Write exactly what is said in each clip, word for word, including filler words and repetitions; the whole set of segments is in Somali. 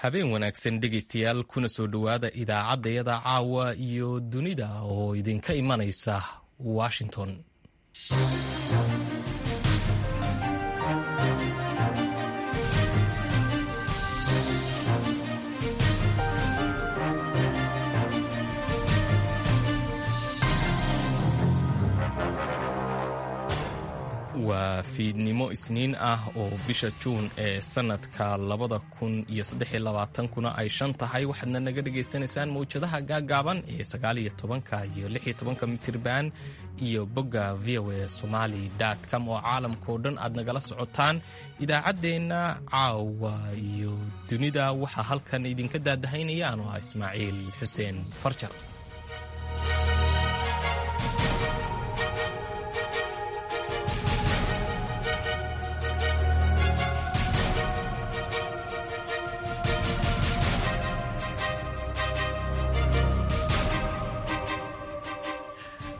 Habeen wanaagsan dhegaystayaal, kuna soo dhowaada idaacaddayada caawa iyo dunida oo idinka imanaysa Washington. Waa fiidnimo Isniin ah oo bisha Juun ee sanadka labada kun iyo saddex iyo labaatankuna ay shan tahay. Waxaadna naga dhagaysanaysaan mawjadaha gaagaaban ee sagaal iyo tobanka iyo lix iyo tobanka mitirban iyo bogga V O A Somali com oo caalamkao dhan aad nagala socotaan. Idaacaddeenna caawa iyo dunida waxaa halkan idinka daadahaynaya anoo ah Ismaaciil Xuseen Farjar.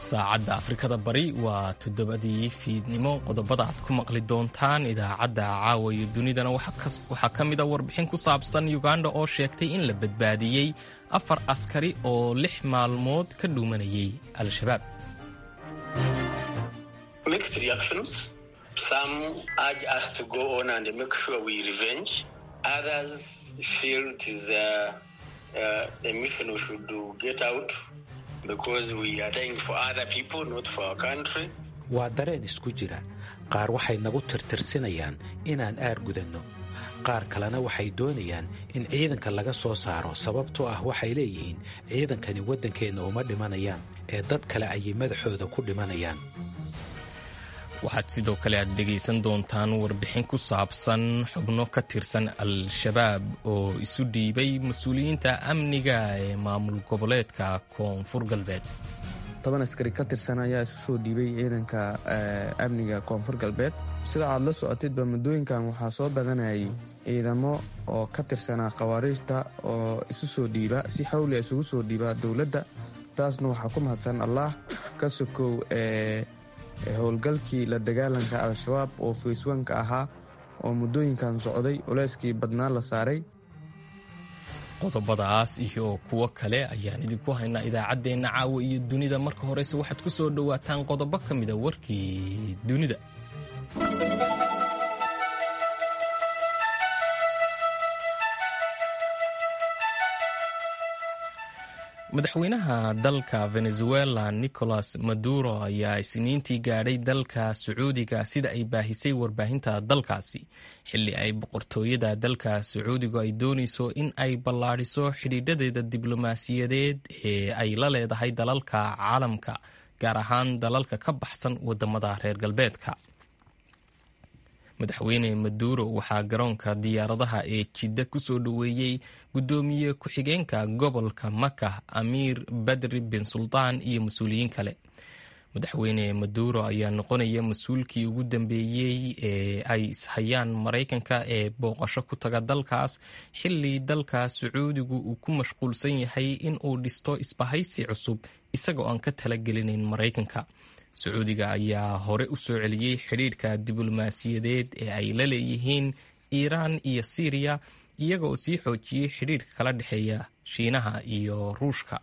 Saacadda Afrikada Bari waa toddobadii fiidnimo. Qodobada aad ku maqli doontaan idaacadda caawa iyo dunidana waxaa ka mid a warbixin ku saabsan Uganda oo sheegtay in la badbaadiyey afar askari oo lix maalmood ka dhuumanayay Al-Shabaab. Mixed reactions. Some urge us to go on and make sure we revenge. Others feel it is a, a, a mission we should do, get out because we are dying for other people, not for our country. Waa dareen isku jira. Qaar waxay nagu tirtirsinayaan inaan aargudanno, qaar kalena waxay doonayaan in ciidanka laga soo saaro, sababtoo ah waxay leeyihiin ciidankani waddankeenna uma dhimanayaan ee dad kale ayay madaxooda ku dhimanayaan. Waxaad sidoo kale aad dhegaysan doontaan warbixin ku saabsan xubno ka tirsan Al-Shabaab oo isu dhiibay mas-uuliyiinta amniga ee maamul goboleedka Koonfur Galbeed. Toban askari ka tirsan ayaa isu soo dhiibay ciidanka amniga Koonfur Galbeed. Sida aad la socotidba, muddooyinkan waxaa soo badanayay ciidamo oo ka tirsanaa khawaariijta oo isu soo dhiiba, si xawli isugu soo dhiiba dowladda. Taasna waxaa ku mahadsan Allah ka sokow ee howlgalkii la dagaalanka Al-Shabaab oo phase one-ka ahaa oo muddooyinkan socday, culeyskii badnaa la saaray. Qodobadaas iyo kuwo kale ayaan idinku haynaa idaacaddeenna caawa iyo dunida. Marka horese waxaad ku soo dhowaataan qodobo ka mida warkii dunida. Madaxweynaha dalka Venezuela Nicolas Maduro ayaa Isniintii gaadhay dalka Sacuudiga, sida ay baahisay warbaahinta dalkaasi, xilli ay boqortooyada dalka Sacuudigu ay doonayso in ay ballaadhiso xidhiidhadeeda diblomaasiyadeed ee ay la leedahay dalalka caalamka, gaar ahaan dalalka ka baxsan wadamada reer galbeedka. Madaxweyne Maduro waxaa garoonka diyaaradaha ee Jidda kusoo dhoweeyey guddoomiye ku-xigeenka gobolka Maka, Amiir Badri bin Sultaan, iyo mas-uuliyiin kale. Madaxweyne Maduro ayaa noqonaya mas-uulkii ugu dambeeyey ee ay ishayaan Maraykanka ee booqasho ku taga dalkaas, xilli dalka Sacuudigu uu ku mashquulsan yahay in uu dhisto isbahaysi cusub isagoo aan ka talagelinayn Maraykanka. Sacuudiga ayaa hore u soo celiyey xidhiidhka diblomaasiyadeed ee ay la leeyihiin Iiraan iyo Siiriya, iyagoo sii xoojiyey xidhiidhka kala dhexeeya Shiinaha iyo Ruushka.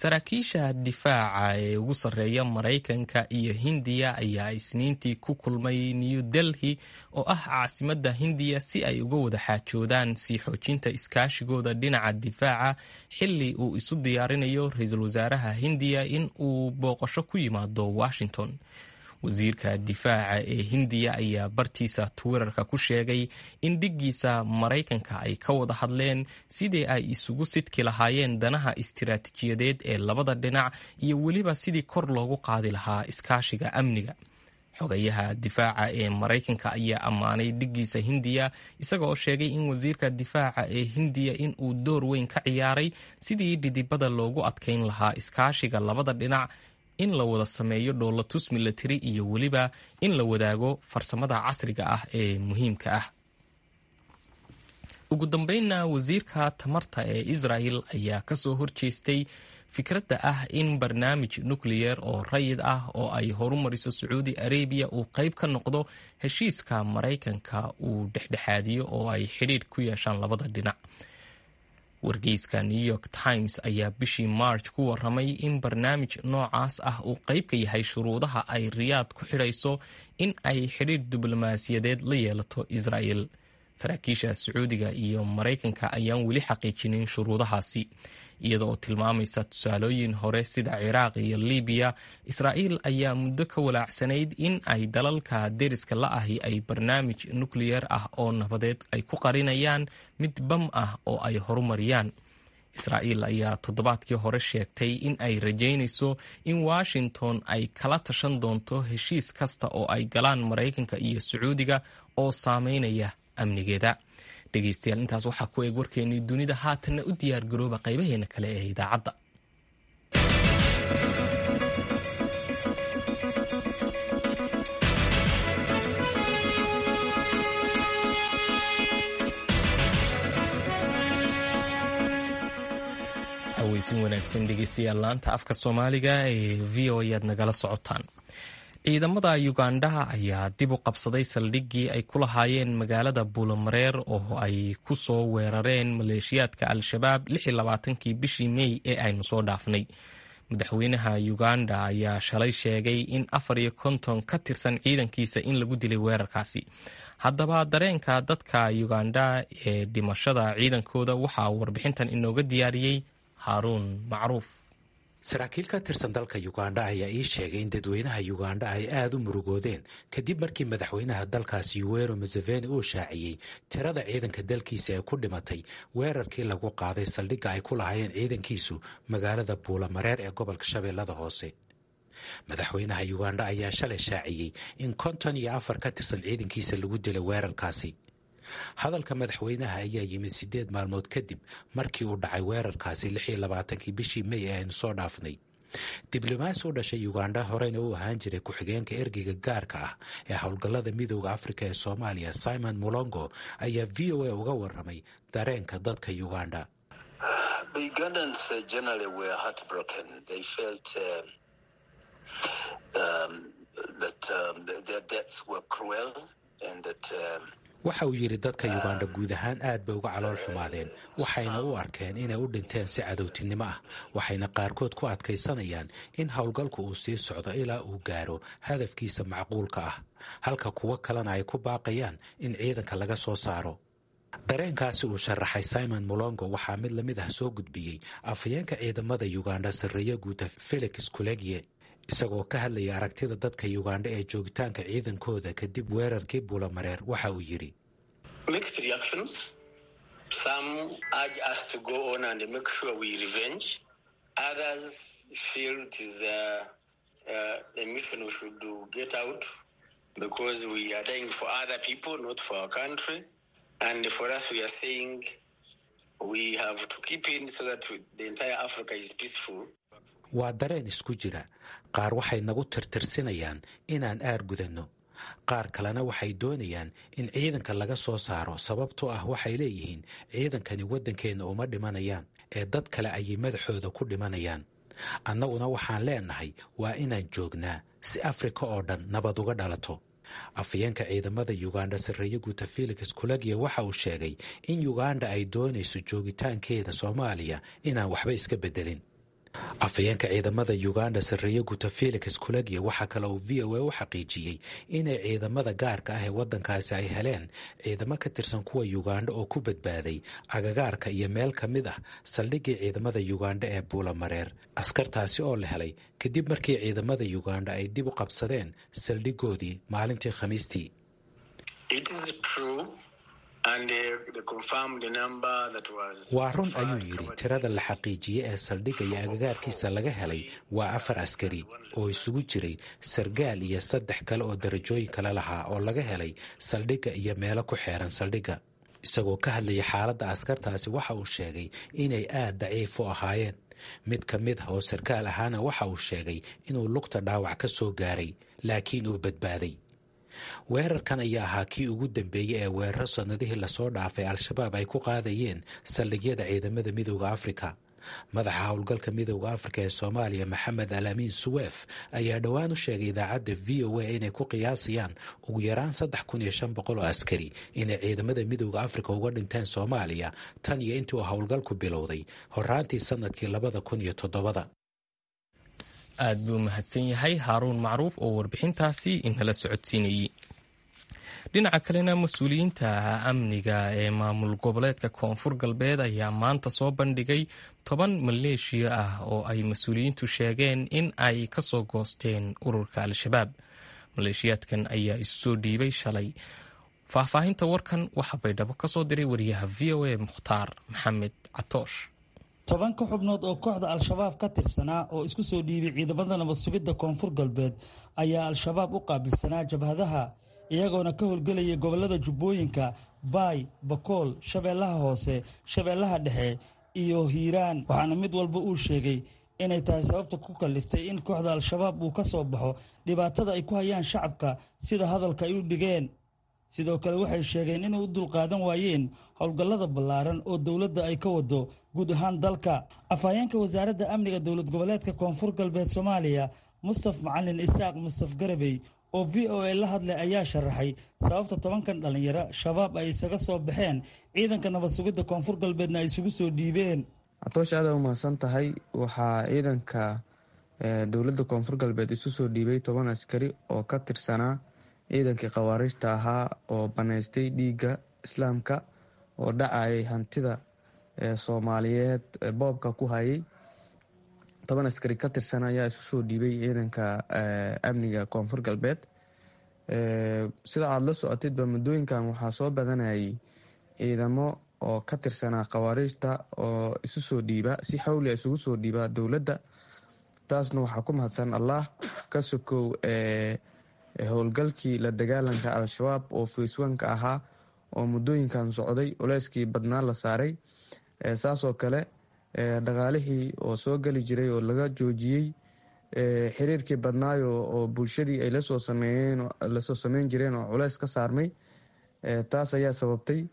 Saraakiisha difaaca ee ugu sarreeya Maraykanka iyo Hindiya ayaa Isniintii ku kulmay New Delhi oo ah caasimadda Hindiya si ay uga wada xaajoodaan sii xoojinta iskaashigooda dhinaca difaaca, xilli uu isu diyaarinayo ra-iisul wasaaraha Hindiya in uu booqasho ku yimaado Washington. Wasiirka difaaca ee Hindiya ayaa bartiisa Twitterka ku sheegay in dhiggiisa Maraykanka ay ka wada hadleen sidii ay isugu sidki lahaayeen danaha istiraatiijiyadeed ee labada dhinac iyo weliba sidii kor loogu qaadi lahaa iskaashiga amniga. Xogayaha difaaca ee Maraykanka ayaa ammaanay dhiggiisa Hindiya, isagaoo sheegay in wasiirka difaaca ee Hindiya in uu door weyn ka ciyaaray sidii dhidibada loogu adkayn lahaa iskaashiga labada dhinac, in la wada sameeyo dhoolatus milatari iyo weliba in la wadaago farsamada casriga ah ee muhiimka ah. Ugu dambeynna, wasiirka tamarta ee Israel ayaa kasoo horjeestay Fikradda ah in barnaamij nukliyeer oo rayid ah oo ay horumariso Sacuudi Arabiya uu qayb ka noqdo heshiiska Maraykanka uu dhexdhexaadiyo oo ay xidhiidh ku yeeshaan labada dhinac. Wargeyska New York Times ayaa bishii March ku waramay in barnaamij noocaas ah uu qayb ka yahay shuruudaha ay Riyaad ku xidhayso in ay xidhiidh diblomaasiyadeed la yeelato Israel. Saraakiisha Sacuudiga iyo Maraykanka ayaan weli xaqiijinin shuruudahaasi, iyada oo tilmaamaysa tusaalooyin hore sida Ciraaq iyo Libiya. Israa'iil ayaa muddo ka walaacsanayd in ay dalalka deriska la ahi ay barnaamij nukliyeer ah oo nabadeed ay ku qarinayaan mid bam ah oo ay horumariyaan. Israa'iil ayaa toddobaadkii hore sheegtay in ay rajaynayso in Washington ay kala tashan doonto heshiis kasta oo ay galaan Maraykanka iyo Sacuudiga oo saameynaya amnigeeda. Dhegeystayaal, intaas waxaa ku eeg warkeennii dunida. Haatanna u diyaar garooba qaybaheena kale ee idaacadda. Aweysin wanaagsan dhegeystayaal, laanta afka Soomaaliga ee V O ayaad nagala socotaan. Ciidamada Ugandha ayaa dib u qabsaday saldhiggii ay ku lahaayeen magaalada Buulamareer oo ay ku soo weerareen maleeshiyaadka Al-Shabaab lix iyo labaatankii bishii Mey ee aynu soo dhaafnay. Madaxweynaha Uganda ayaa shalay sheegay in afar iyo konton ka tirsan ciidankiisa in lagu dilay weerarkaasi. Haddaba dareenka dadka Uganda ee dhimashada ciidankooda waxaa warbixintan inooga diyaariyey Haaruun Macruuf. Saraakiil ka tirsan dalka Uganda ayaa ii sheegay in dadweynaha Uganda ay aada u murugoodeen kadib markii madaxweynaha dalkaasi Yoweri Museveni uu shaaciyey tirada ciidanka dalkiisa ee ku dhimatay weerarkii lagu qaaday saldhigga ay ku lahaayeen ciidankiisu magaalada Buulamareer ee gobolka Shabeellada Hoose. Madaxweynaha Uganda ayaa shalay shaaciyey in konton iyo afar ka tirsan ciidankiisa lagu dilay weerarkaasi. Hadalka madaxweynaha ayaa yimid siddeed maalmood kadib markii uu dhacay weerarkaasi lix iyo labaatankii bishii Mey ee aynu soo dhaafnay. Diblomaasi u dhashay Uganda horeyna uu ahaan jiray ku-xigeenka ergeyga gaarka ah ee howlgallada Midowda Afrika ee Soomaaliya, Simon Mulongo, ayaa V O A uga waramay dareenka dadka Uganda. Waxa uu yidhi dadka Uganda guud ahaan aad bay uga calool xumaadeen, waxayna u arkeen inay u dhinteen si cadowtinimo ah, waxayna qaarkood ku adkaysanayaan in howlgalku uu sii socdo ilaa uu gaaro hadafkiisa macquulka ah, halka kuwo kalena ay ku baaqayaan in ciidanka laga soo saaro. Dareenkaasi uu sharaxay Simon Mulongo waxaa mid lamid ah soo gudbiyey afhayeenka ciidamada Uganda, sarreeye guuta Felix Kulegie, isagoo ka hadlaya aragtida dadka Uganda ee joogitaanka ciidankooda kadib weerarkii Buulamareer. Waxa uu yidhi: Mixed reactions. Some urge us to go on and make sure we revenge. Others feel it is a, a, a mission we should do, get out, because we are dying for other people, not for our country. And for us, we are saying we have to keep in so that the entire Africa is peaceful. Waa dareen isku jira. Qaar waxay nagu tirtirsinayaan inaan aar gudanno, qaar kalena waxay doonayaan in ciidanka laga soo saaro, sababtoo ah waxay leeyihiin ciidankani waddankeenna uma dhimanayaan ee dad kale ayay madaxooda ku dhimanayaan. Annaguna waxaan leenahay waa inaan joognaa si Afrika oo dhan nabad uga dhalato. Afhayeenka ciidamada Uganda, sarreeye guuta Felix Kulagia, waxa uu sheegay in Uganda ay doonayso joogitaankeeda Soomaaliya inaan waxba iska beddelin. Afhayeenka ciidamada Uganda, sarreeye guuta Felix Kulagia, waxaa kale uu V O A u xaqiijiyey inay ciidamada gaarka ah ee waddankaasi ay heleen ciidamo ka tirsan kuwa Uganda oo ku badbaaday agagaarka iyo meel ka mid ah saldhiggii ciidamada Uganda ee Buulamareer, askartaasi oo la helay kadib markii ciidamada Uganda ay dib u qabsadeen saldhigoodii maalintii Khamiistii. Waa run, ayuu yidhi, tirada la xaqiijiyey ee saldhigga iyo agagaarkiisa laga helay waa afar askari oo isugu jiray sargaal iyo saddex kale oo darajooyin kale lahaa oo laga helay saldhigga iyo meelo ku xeeran saldhigga. Isagoo ka hadlayay xaaladda askartaasi, waxa uu sheegay inay aad daciif u ahaayeen. Mid ka mid ah oo sarkaal ahaana waxa uu sheegay inuu lugta dhaawac ka soo gaaray, laakiin uu badbaaday. Weerarkan ayaa ahaa kii ugu dambeeyey ee weeraro sannadihii lasoo dhaafay Al-Shabaab ay ku qaadayeen saldhigyada ciidamada Midowda Afrika. Madaxa howlgalka Midowda Afrika ee Soomaaliya, Maxamed Alaamiin Suweef, ayaa dhowaan u sheegay idaacadda V O A inay ku qiyaasayaan ugu yaraan saddex kun iyo shan boqol oo askari inay ciidamada Midowda Afrika uga dhinteen Soomaaliya tan iyo intii uu howlgalku bilowday horaantii sanadkii labada kun iyo toddobada. Aad buu mahadsan yahay Haaruun Macruuf oo warbixintaasi inala socodsiinayey. Dhinaca kalena, mas-uuliyiinta amniga ee maamul goboleedka Koonfur Galbeed ayaa maanta soo bandhigay toban maleeshiya ah oo ay mas-uuliyiintu sheegeen in ay kasoo goosteen ururka Al-Shabaab. Maleeshiyaadkan ayaa isu soo dhiibay shalay. Faahfaahinta warkan waxaa Baydhabo kasoo diray wariyaha V O A, Mukhtaar Maxamed Catoosh. Tobanka xubnood oo kooxda Al-Shabaab ka tirsanaa oo isku soo dhiibay ciidamada nabad sugidda Koonfur Galbeed ayaa Al-Shabaab u qaabilsanaa jabhadaha, iyagoona ka howlgelayay gobollada Jubbooyinka, Baay, Bakool, Shabeellaha Hoose, Shabeellaha Dhexe iyo Hiiraan. Waxaana mid walba uu sheegay inay tahay sababta ku kalliftay in kooxda Al-Shabaab uu ka soo baxo dhibaatada ay ku hayaan shacabka, sida hadalka ay u dhigeen. Sidoo kale waxay sheegeen inay u dulqaadan waayeen howlgallada ballaaran oo dowladda ay ka wado guud ahaan dalka. Afhayeenka wasaaradda amniga dowlad goboleedka Koonfur Galbeed Soomaaliya, Mustaf Macalin Isaaq Mustaf Garabey, oo V O A la hadlay ayaa sharaxay sababta tobankan dhallinyaro Shabaab ay isaga soo baxeen, ciidanka nabad sugidda Koonfur Galbeedna ay isugu soo dhiibeen. Catoosh, aada umahadsan tahay. Waxaa ciidanka dowladda Koonfur Galbeed isu soo dhiibay toban askari oo ka tirsanaa ciidankii khawaarijta ahaa oo banaystay dhiigga islaamka oo dhacayay hantida soomaaliyeed boobka ku hayay. Toban askari ka tirsan ayaa isu soo dhiibay ciidanka amniga Koonfur Galbeed. Sida aada la socotidba, muddooyinkan waxaa soo badanayay ciidamo oo ka tirsanaa khawaarijta oo isu soo dhiiba, si xawli isugu soo dhiiba dowladda. Taasna waxaa ku mahadsan Allah ka sokow howlgalkii la dagaalanka Al-Shabaab oo facewanka ahaa oo muddooyinkan socday, culeyskii badnaa la saaray. Saasoo kale dhaqaalihii oo soo geli jiray oo laga joojiyey, xiriirkii badnaayo oo bulshadii ay lasoo sameeyeen lasoo sameyn jireen oo culeys ka saarmay, taas ayaa sababtay.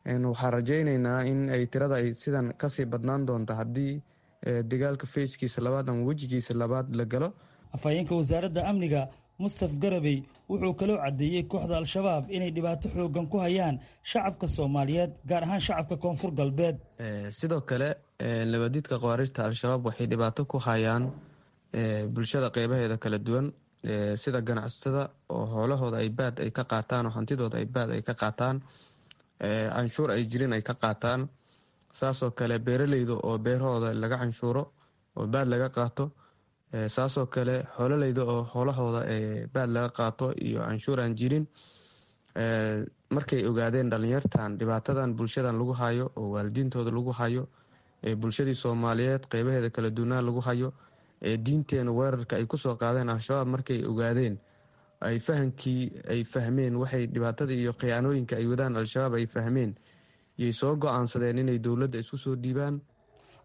Waxaan rajayneynaa in ay tirada ay sidan kasii badnaan doonto haddii dagaalka feyskiisa labaad ama wejigiisa labaad la galo. Afhayeenka wasaaradda amniga Mustaf Garabey wuxuu kaloo caddeeyey kooxda Al-Shabaab inay dhibaato xoogan ku hayaan shacabka Soomaaliyeed, gaar ahaan shacabka Koonfur Galbeed. Sidoo kale labadiidka khawaarijta Al-Shabaab waxay dhibaato ku hayaan bulshada qeybaheeda kala duwan, sida ganacsatada oo hoolahooda ay baad ay ka qaataan oo hantidooda ay baad ay ka qaataan, canshuur ay jirin ay ka qaataan. Saasoo kale beeraleyda oo beerahooda laga canshuuro oo baad laga qaato. Saasoo kale xoololeyda oo xoolahooda baad laga qaato iyo canshuur aan jirin. Markay ogaadeen dhalinyartan dhibaatadan bulshadan lagu hayo oo waalidiintooda lagu hayo, bulshadii Soomaaliyeed qeybaheeda kala duwanaa lagu hayo, diinteena weerarka ay kusoo qaadeen Al-Shabaab, markay ogaadeen, ay fahankii ay fahmeen waxay dhibaatada iyo khiyaanooyinka ay wadaan Al-Shabaab ay fahmeen, yay soo go-aansadeen inay dowladda isku soo dhiibaan.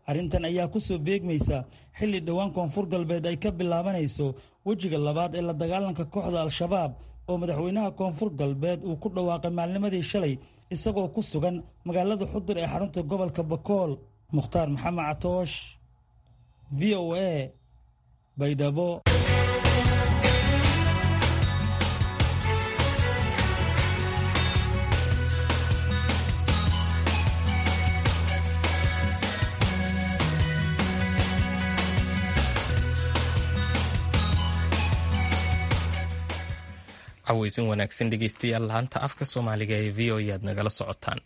Arrintan ayaa ku soo beegmaysa xilli dhowaan Koonfur Galbeed ay ka bilaabanayso wejiga labaad ee la dagaalanka kooxda Al-Shabaab oo madaxweynaha Koonfur Galbeed uu ku dhawaaqay maalnimadii shalay isagoo ku sugan magaalada Xudur ee xarunta gobolka Bakool. Mukhtaar Maxamed Catoosh, V O A, Baydhabo. Caweysin wanaagsan dhegeystayaal, laanta afka Soomaaliga ee V O aad nagala socotaan.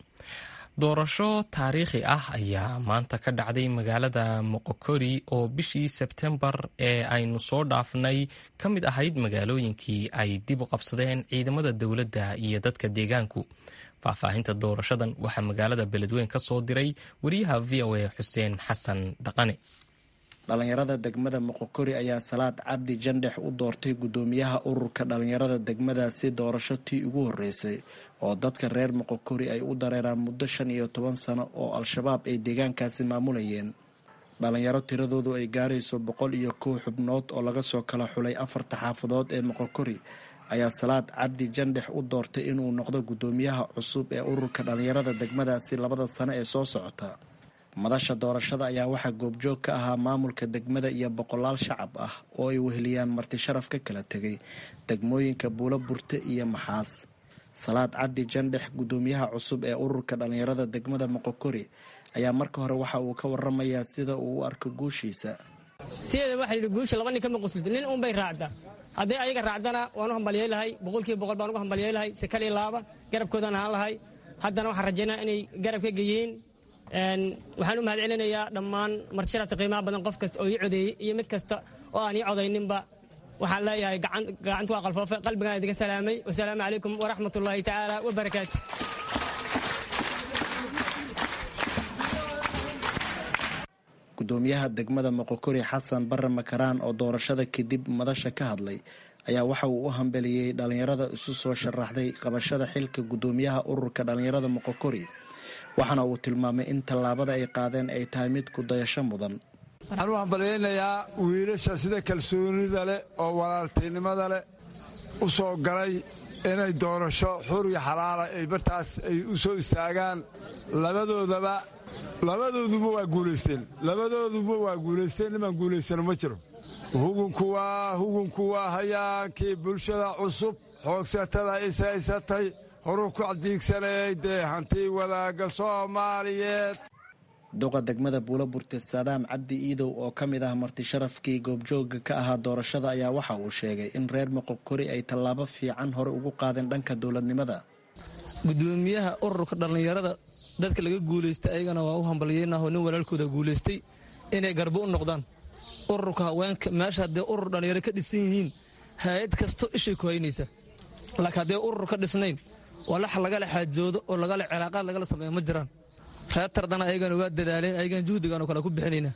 Doorasho taariikhi ah ayaa maanta ka dhacday magaalada Moqokori oo bishii Sebtembar ee aynu soo dhaafnay ka mid ahayd magaalooyinkii ay dib u qabsadeen ciidamada dowladda iyo dadka deegaanku. Faahfaahinta doorashadan waxaa magaalada Beledweyn ka soo diray wariyaha V O A, Xuseen Xasan Dhaqane. Dhalinyarada degmada Moqokori ayaa Salaad Cabdi Jandhex u doortay guddoomiyaha ururka dhalinyarada degmadaasi, doorasho tii ugu horeysay oo dadka reer Moqokori ay u dareeraan muddo shan iyo toban sano oo Al-Shabaab ay deegaankaasi maamulayeen. Dhalinyaro tiradoodu ay gaarayso boqol iyo kow xubnood oo laga soo kala xulay afarta xaafadood ee Moqokori ayaa Salaad Cabdi Jandhex u doortay inuu noqdo guddoomiyaha cusub ee ururka dhalinyarada degmadaasi labada sano ee soo socota. Madasha doorashada ayaa waxaa goobjoog ka ahaa maamulka degmada iyo boqolaal shacab ah oo ay weheliyaan marti sharaf ka kala tegay degmooyinka Buulo Burte iyo Maxaas. Salaad Cabdi Jandhex, gudoomiyaha cusub ee ururka dhalinyarada degmada Moqokori, ayaa marka hore waxa uu ka waramayaa sida uu u arko guushiisa. Sideeda waxaa yidhi guusha laba nin kama quslid, nin uunbay raacdaa. Hadday ayaga raacdana waan u hambalyay lahay, boqolkiiba boqol baan ugu hambalyay lahay, si kal iyo laaba garabkoodaan ahaan lahay. Haddana waxaan rajaynaa inay garab ka geeyeen. Waxaan u mahad celinayaa dhammaan martisharafta qiimaha badan, qof kasta oo ii codeeyey iyo mid kasta oo aan ii codayninba. Waxaan leeyahay gacantu waa qalfoofe, qalbigaan idinka salaamay. Wasalaamu calaykum waraxmatullaahi tacaala wabarakaatu. Gudoomiyaha degmada Moqokori Xasan Barre Makaraan oo doorashada kadib madasha ka hadlay ayaa waxa uu u hambeliyey dhalinyarada isu soo sharaxday qabashada xilka gudoomiyaha ururka dhalinyarada Moqokori, waxaana uu tilmaamay in tallaabada ay qaadeen ay tahay mid ku dayasho mudan. Waxaan u hambalyaynayaa wiilasha sida kalsoonida leh oo walaaltinimada leh u soo galay inay doorasho xur iyo xalaala ay bartaas ay u soo istaagaan. Labadoodaba labadooduba waa guulaysteen, labadooduba waa guulaysteen. Nimaan guulaysano ma jiro. Hugunku waa hugunku waa hayaankii bulshada cusub xoogsatada ishaysatay horuu ku cadiigsanayay dee hanti wadaagga Soomaaliyeed. Duqa degmada Buulo Burte Saadaam Cabdi Iidow oo ka mid ah marti sharafkii goobjooga ka ahaa doorashada ayaa waxa uu sheegay in reer Moqokori ay tallaabo fiican hore ugu qaadeen dhanka dowladnimada. Gudoomiyaha ururka dhallinyarada dadka laga guulaystay ayagana waa u hambalyeynah, nin walaalkooda guulaystay inay garbo u noqdaan. Ururka haweenka meesha haddee urur dhallinyaro ka dhisan yihiin hay-ad kasto ishay ku haynaysa, laakiin haddee urur ka dhisnayn walax lagala xaajoodo oo lagala cilaaqaad lagala sameeyo ma jiraan. Reer tardana ayagana waa dadaaleen, ayagana juhdigaan oo kale ku bixinaynaa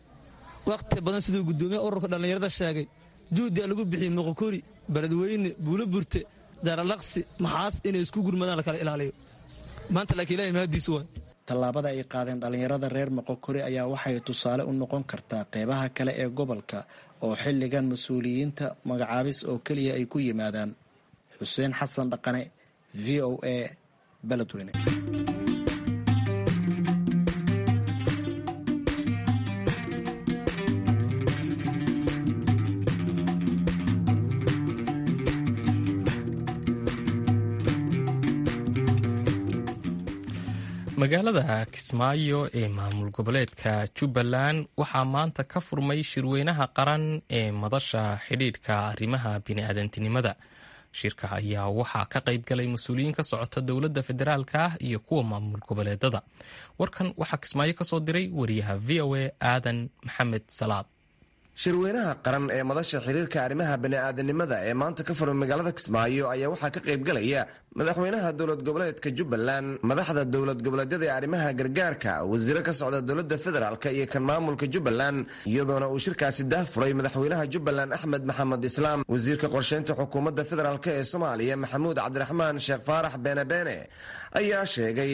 wakhti badan. Siduu gudoomiyaha ururka dhallinyarada sheegay, juhdigaa lagu bixiyey Moqokori, Beledweyne, Buulo Burte, Jaralaqsi, Maxaas inay isku gurmadaan lakala ilaaliyo maanta, laakiin ilahay mahadiisu waay. Tallaabada ay qaadeen dhalinyarada reer Moqokori ayaa waxay tusaale u noqon kartaa qeybaha kale ee gobolka oo xilligan mas-uuliyiinta magacaabis oo keliya ay ku yimaadaan. Xuseen Xasan Dhaqane, V O A, Beledweyne. Magaalada Kismaayo ee maamul goboleedka Jubbaland waxaa maanta ka furmay shirweynaha qaran ee madasha xidhiidhka arrimaha bini'aadantinimada. Shirka ayaa waxaa ka qayb galay mas-uuliyiin ka socota dowladda federaalka ah iyo kuwa maamul goboleedada. Warkan waxaa Kismaayo ka soo diray wariyaha V O A Aadan Maxamed Salaad. Shirweynaha qaran ee madasha xiriirka arrimaha bani'aadanimada ee maanta ka furan magaalada Kismaayo ayaa waxaa ka qaybgalaya madaxweynaha dowlad goboleedka Jubbaland, madaxda dowlad goboleedyada ee arrimaha gargaarka, wasiiro ka socda dowladda federaalk iyo kan maamulka Jubbaland, iyadoona uu shirkaasi daahfuray madaxweynaha Jubbaland Axmed Maxamed Islaam. Wasiirka qorsheynta xukuumadda federaalk ee Soomaaliya Maxamuud Cabdiraxmaan Sheekh Faarax Beene Beene ayaa sheegay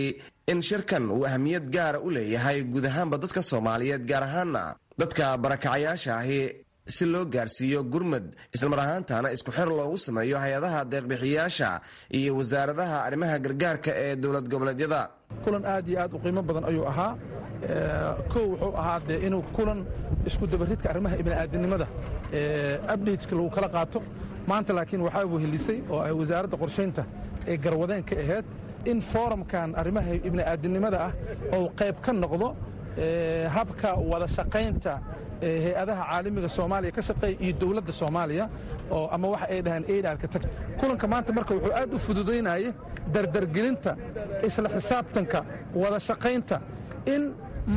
in shirkan uu ahamiyad gaara u leeyahay guud ahaanba dadka Soomaaliyeed, gaar ahaana dadka barakacayaasha ahi, si loo gaarsiiyo gurmad islamar ahaantaana isku xer loogu sameeyo hay-adaha deeqbixiyaasha iyo wasaaradaha arrimaha gargaarka ee dowlad goboleedyada. Kulan aad iyo aad u qiimo badan ayuu ahaa. Kow wuxuu ahaa dee inuu kulan isku dabaridka arrimaha ibni'aadanimada updateska lagu kala qaato maanta, laakiin waxaa wehelisay oo ay wasaaradda qorshaynta ee garwadeen ka ahayd in foorumkan arrimaha ibni'aadanimada ah oo qayb ka noqdo habka wada shaqaynta hay-adaha caalamiga Soomaaliya ka shaqeeya iyo dowladda Soomaaliya, oo ama waxa ay dhahaan aid tag. Kulanka maanta marka wuxuu aad u fududaynayay dardargelinta isla xisaabtanka wada shaqaynta in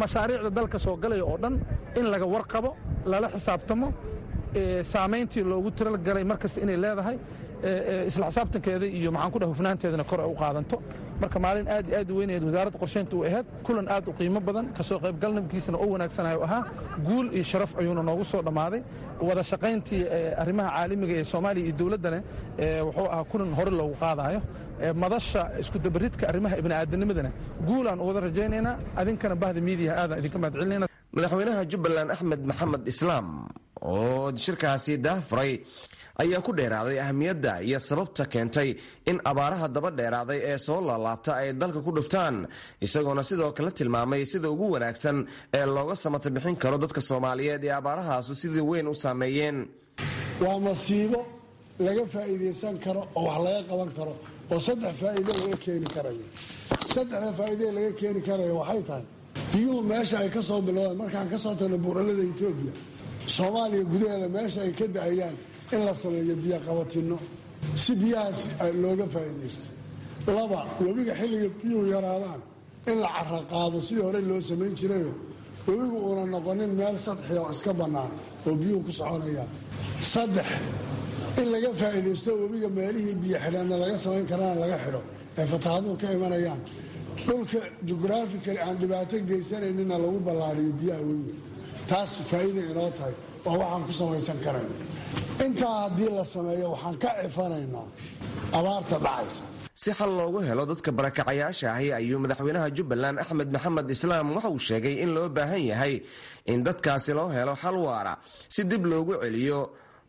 mashaariicda dalka soo galaya oo dhan in laga warqabo, lala xisaabtamo, saamayntii loogu tiragalay mar kasta inay leedahay isla xisaabtankeeda iyo maxaan ku dhaha hufnaanteedana kor ay u qaadanto. Marka maalin aad iyo aad u weynayd wasaaradda qorshaynta u ahayd, kulan aad u qiimo badan, kasoo qaybgalnabkiisana oo wanaagsanayo ahaa, guul iyo sharaf ayuuna noogu soo dhammaaday. Wada shaqayntii arrimaha caalamiga ee Soomaaliya iyo dowladdana wuxuu ahaa kulan hore loogu qaadaayo madasha isku dabaridka arrimaha ibni'aadanimadana. Guulaan u wada rajaynaynaa, adinkana bahda miidiyaha aadaan idinka mahad celinayna. Madaxweynaha Jubbaland Axmed Maxamed Islaam oo shirkaasi daahfuray ayaa ku dheeraaday ahmiyadda iyo sababta keentay in abaaraha daba dheeraaday ee soo laalaabta ay dalka ku dhuftaan, isagoona sidoo kale tilmaamay sida ugu wanaagsan ee looga samata bixin karo dadka Soomaaliyeed ee abaarahaasu sidii weyn u saameeyeen. Waa masiibo laga faa'iidaysan karo oo wax laga qaban karo oo saddex faa'iido laga keeni karayo. Saddexda faa'iido laga keeni karayo waxay tahay biyuhu meesha ay ka soo bilowdaan markaan ka soo tagno buuralada Itoobiya, Soomaaliya gudaheeda meesha ay ka da'ayaan in la sameeyo biyo qabatinno si biyahaas looga faa'iidaysto. Laba, webiga xilliga biyuhu yaraadaan in la cara qaado sidii hore loo samayn jirayo, webigu uuna noqonin meel sadxi oo iska bannaan oo biyuhu ku soconayaan. Saddex, in laga faa'iidaysto webiga meelihii biyo xidhaanna laga samayn karana laga xidho ee fataahaduhu ka imanayaan, dhulka jugraafikali aan dhibaato geysanayninna lagu ballaariyo biyaha webiga. Taas faa'iida inoo tahay oo waxaan ku samaysan karayna. Intaa haddii la sameeyo waxaan ka cifanaynaa abaarta dhacaysa. Si xal loogu helo dadka barakacayaasha ahi ayuu madaxweynaha Jubbaland Axmed Maxamed Islaam waxa uu sheegay in loo baahan yahay in dadkaasi loo helo xal waara si dib loogu celiyo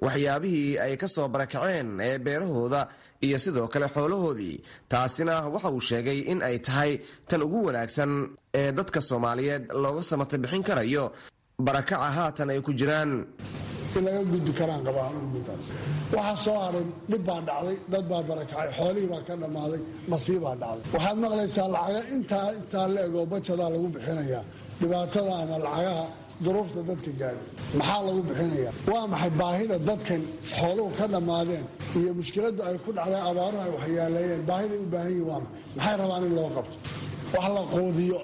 waxyaabihii ay ka soo barakaceen ee beerahooda iyo sidoo kale xoolahoodii. Taasina waxa uu sheegay in ay tahay tan ugu wanaagsan ee dadka Soomaaliyeed looga samata bixin karayo barakaca haatan ay ku jiraan. In laga gudbi karaan qabaa anugu midaas. Waxaa soo haray dhib baa dhacday, dad baa barakacay, xoolihii baa ka dhammaaday, masiibaa dhacday. Waxaad maqlaysaa lacaga intaa intaa la eg oo bajadaa lagu bixinayaa dhibaatada ama lacagaha duruufta dadka gaadhay. Maxaa lagu bixinayaa? Waa maxay baahida dadkan xooluhu ka dhammaadeen iyo mushkiladdu ay ku dhacday, abaaruhu ay waxyeeleeyeen, baahiday u baahan yihin waa maxay rabaan in loo qabto? Wax la quudiyo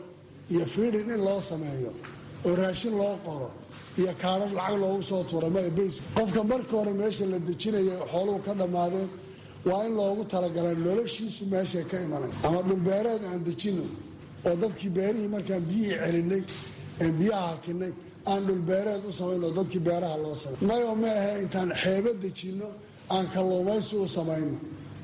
iyo fiidhin in loo sameeyo oo raashin loo qoro iyo kaarar lacag loogu soo tuura mabays. Qofka marka hore meesha la dejinaya xooluhu ka dhammaadeen waa in loogu talagalay noloshiisu meeshay ka imanay. Ama dhulbeereed aan dejino oo dadkii beerihii markaan biyihii celinay een biyaha hakinay aan dhulbeereed u samayno oo dadkii beeraha loo samay. Mayo ma ahe intaan xeebo dejinno aan kalluumaysi u samayno,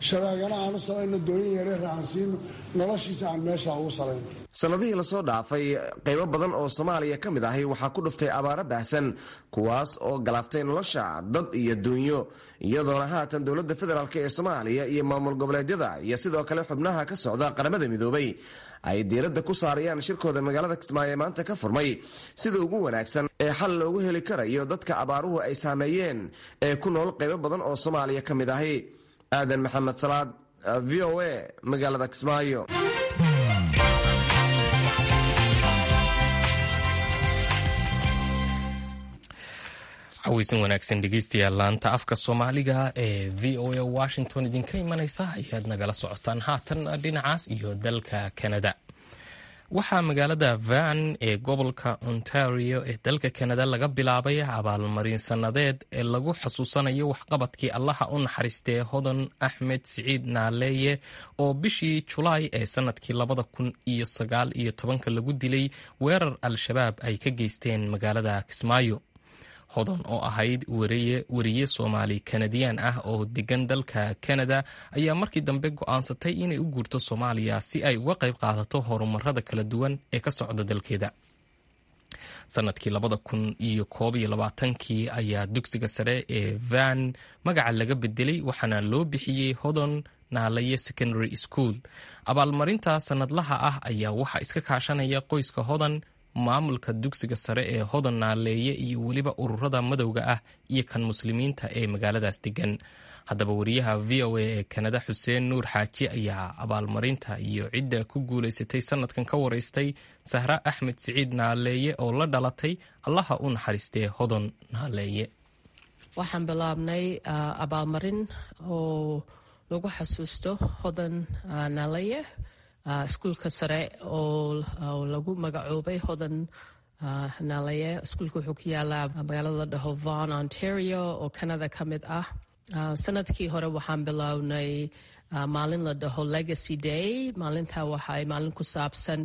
shabaagana aan u samayno, dooyin yareera aan siino, noloshiisa aan meesha ugu salayno. Sanadihii lasoo dhaafay qaybo badan oo Soomaaliya ka mid ahi waxaa ku dhuftay abaaro baahsan, kuwaas oo galaaftay nolosha dad iyo duunyo, iyadoona haatan dowladda federaalk ee Soomaaliya iyo maamul goboleedyada iyo sidoo kale xubnaha ka socda Qaramada Midoobay ay diiradda ku saarayaan shirkooda magaalada Kismaayo ee maanta ka furmay sida ugu wanaagsan ee xal loogu heli karayo dadka abaaruhu ay saameeyeen ee ku nool qaybo badan oo Soomaaliya ka mid ahi. Aadan Maxamed Salaad, V O A, magaalada Kismaayo. Caweysan wanaagsan dhegeystayaal, laanta afka Soomaaliga ee V O A Washington idinka imanaysa ayaad nagala socotaan. Haatan dhinacaas iyo dalka Canada. Waxaa magaalada Van ee gobolka Ontario ee dalka Canada laga bilaabay abaalmarin sanadeed ee lagu xasuusanayo waxqabadkii Allaha u naxariistee Hodan Axmed Siciid Naaleeye oo bishii Julaay ee sanadkii labada kun iyo sagaal iyo tobanka lagu dilay weerar Al-Shabaab ay ka geysteen magaalada Kismaayo. Hodan oo ahayd weriye Soomaali Kanadiyaan ah oo degan dalka Kanada ayaa markii dambe go'aansatay inay u guurto Soomaaliya si ay uga qayb qaadato horumarada kala duwan ee ka socda dalkeeda. Sanadkii labada kun iyo koob iyo labaatankii ayaa dugsiga sare ee Van magaca laga bedelay waxaana loo bixiyey Hodan Naalaye Secondary School. Abaalmarinta sanadlaha ah ayaa waxaa iska kaashanaya qoyska Hodan, maamulka dugsiga sare ee Hodan Naaleeye iyo weliba ururada madowga ah iyo kan muslimiinta ee magaaladaas degan. Haddaba wariyaha V O A ee Kanada Xuseen Nuur Xaaji ayaa abaalmarinta iyo cidda ku guulaysatay sanadkan ka wareystay Sahra Axmed Siciid Naaleeye oo la dhalatay Allaha u naxariistee Hodan Naaleeye. Waxaan bilaabnay abaalmarin oo lagu xasuusto Hodan Naaleeye, iskuulka sare oo lagu magacoobay Hodan Naaleeye. Iskuulka wuxuu ku yaalaa magaalada la dhaho Vaughan, Ontario oo Canada ka mid ah. Sanadkii hore waxaan bilownay maalin la dhaho Legacy Day. Maalintaa waxay maalin ku saabsan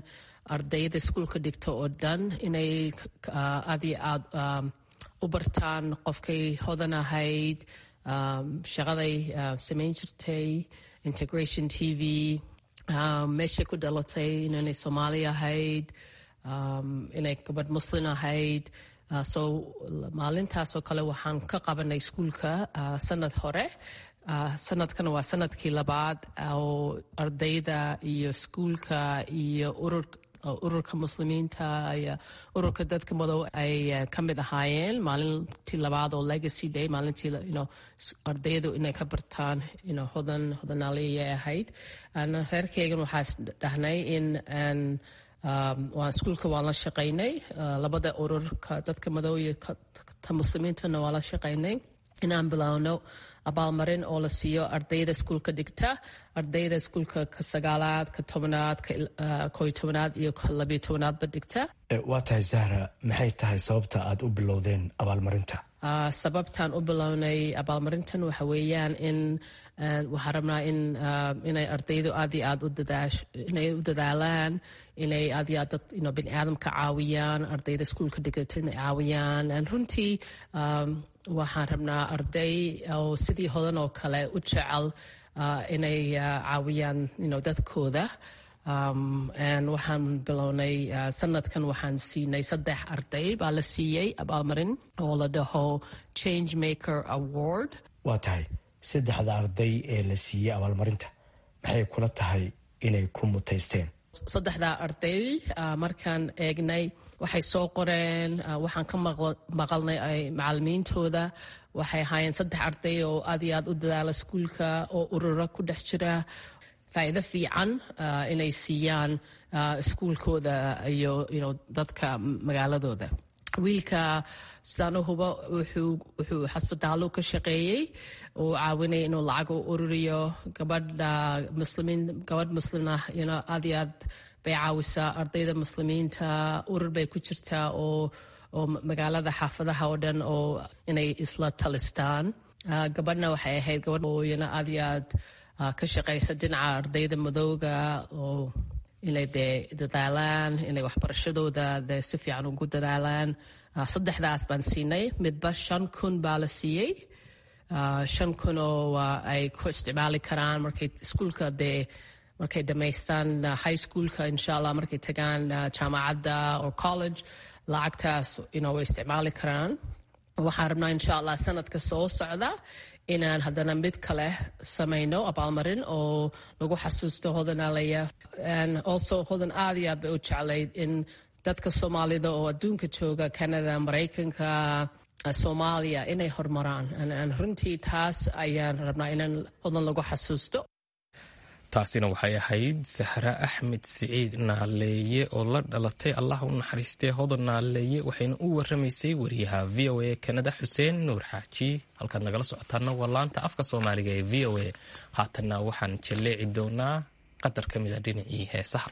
ardayda iskuulka dhigta oo dhan inay aad iyo aad u bartaan qofkay hodan ahayd, shaqaday samayn jirtay, Integration T V, meeshay ku dhalatay, inay Soomaali ahayd, inay gabadh Muslim ahayd, So maalintaasoo kale waxaan ka qabanay iskuulka sanad hore. Sanadkan waa sanadkii labaad oo ardayda iyo iskuulka iyo urur ururka muslimiinta iyo ururka dadka madow ay ka mid ahaayeen maalintii labaad oo Legacy Day, maalintii you know, ardaydu inay ka bartaan you know, Hodan Hodan Nalayeh ahayd. Reerkeygan waxaa dhahnay in waan iskuulka waan la shaqaynay, labada ururka dadka madow iyo ta muslimiintana waan la shaqaynay, inaan bilowno abaalmarin oo la siiyo ardayda iskuulka dhigta, ardayda iskuulka ka sagaalaad, ka tobnaad, ka kooyo tobnaad iyo ka labiyo tobnaadba dhigta. Waa tahay Zahra, maxay tahay sababta aad u bilowdeen abaalmarinta? Sababtaan u bilownay abaalmarintan waxa weeyaan in waxaan rabnaa in inay ardaydu aad iyo aad u dadaash inay u dadaalaan, inay aad iyo aad dad you know, bini aadamka caawiyaan, ardayda iskuulka dhigata inay caawiyaan. Runtii waxaan rabnaa arday oo sidii Hodan oo kale u jecel inay caawiyaan you know, dadkooda. Waxaan bilownay sanadkan, waxaan siinay saddex arday baa la siiyey abaalmarin oo la dhaho Change Maker Award. Waa tahay, saddexda arday ee la siiyey abaalmarinta maxay kula tahay inay ku mutaysteen? Saddexdaa arday markaan eegnay waxay soo qoreen, waxaan ka maqalnay macalimiintooda, waxay ahaayeen saddex arday oo aad iyo aad u dadaala iskuulka oo urura ku dhex jira, faa'iido fiican inay siiyaan iskuulkooda iyo you know, dadka magaaladooda. Wiilka sidaan u hubo wuxuu wuxuu xasbitaallo ka shaqeeyey oo caawinaya inuu lacag u ururiyo. Gabadha muslimiin, gabadh muslim ah you know, aad iyo aad bay caawisaa ardayda muslimiinta, urur bay ku jirtaa oo oo magaalada xaafadaha oo dhan oo inay isla talistaan. Gabadhna waxay ahayd gabadh oo iyana aad iyo aad ka shaqeysa dhinaca ardayda madowga oo inay dee dadaalaan, inay waxbarashadooda dee si fiican ugu dadaalaan. Saddexdaas baan siinay, midba shan kun baa la siiyey, shan kun oo ay ku isticmaali karaan markay iskuulka dee markay dhamaystaan high schoolka, insha Allah markay tagaan jaamacadda or college, lacagtaas you know, way isticmaali karaan. Waxaan rabnaa insha Allah sanadka soo socda inaan haddana mid kale samayno abaalmarin oo lagu xasuusto Hodan Nalayeh. Also Hodan aad iyo aad bay u jeclayd in dadka Soomaalida oo adduunka jooga, Canada, Maraykanka, Soomaaliya, inay horumaraan. Runtii taas ayaan rabnaa inaan Hodan lagu xasuusto. Taasina waxay ahayd Sahra Axmed Siciid Naaleeye oo la dhalatay Allah u naxariistee Hodan Naaleeye, waxayna u waramaysay wariyaha V O A Kanada Xuseen Nuur Xaaji. Halkaad nagala socotaana waa laanta afka Soomaaliga ee V O A. Haatanna waxaan jalleeci doonaa qadar ka mid a dhinacii heesaha.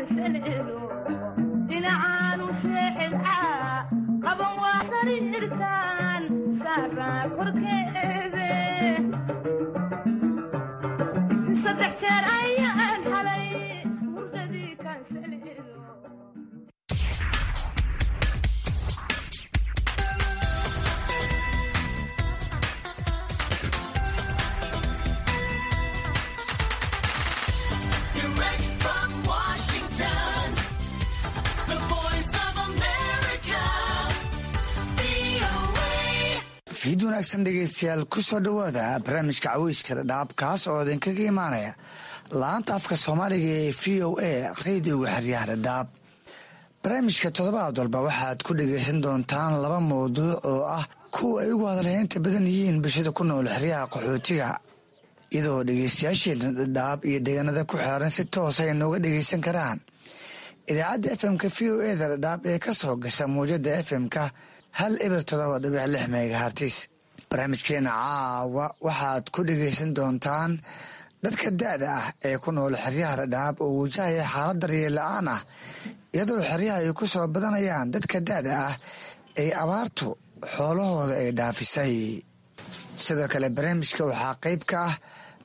kansaleelo dhinacaanu seexdaa qaban waa sariirtan saaraa korkeede saddex jeer ayaan xalay hurdadii kansaleelo. Direct from Washington, the voice of America, V O A. Fiid wanaagsan, dhegeystayaal. Ku soo dhowaada barnaamijka caweyska Dhadhaab, kaas oo idinkaga imaanaya laanta afka Soomaaliga ee V O A, radioga xeryaha Dhadhaab. Barnaamijka toddobaad walba waxaad ku dhegeysan doontaan laba mawduuc oo ah kuwa ay ugu hadalheynta badan yihiin bulshada ku nool xeryaha qaxootiga, iyadoo dhegeystayaasheena Dhadhaab iyo deegaanada ku xeeran si toosa ay nooga dhegeysan karaan idaacadda F M-ka V O A da Dhadhaab ee ka soo gasha muwjada F M-ka hal eber todoba dhibic lix megahertz. Barnaamijkeena caawa waxaad ku dhegeysan doontaan dadka da-da ah ee ku nool xeryaha Dhadhaab oo wajahaya xaalad daryeel la-aan ah, iyadoo xeryaha ay ku soo badanayaan dadka da-da ah ee abaartu xoolahooda ay dhaafisay. Sidoo kale barnaamijka waxaa qayb ka ah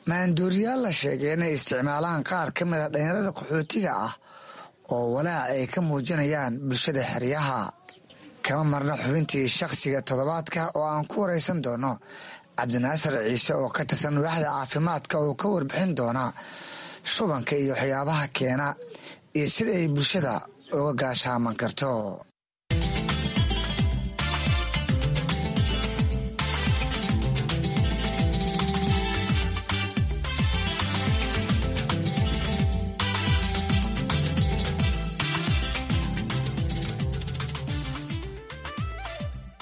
maandooriyaal la sheegay inay isticmaalaan qaar ka mid a dhalinyarada qaxootiga ah oo walaac ay ka muujinayaan bulshada xeryaha. Kama marna xubintii shakhsiga toddobaadka oo aan ku wareysan doono Cabdinaasir Ciise oo ka tirsan waaxda caafimaadka, oo ka warbixin doona shubanka iyo waxyaabaha keena iyo sida ay bulshada uga gaashaaman karto.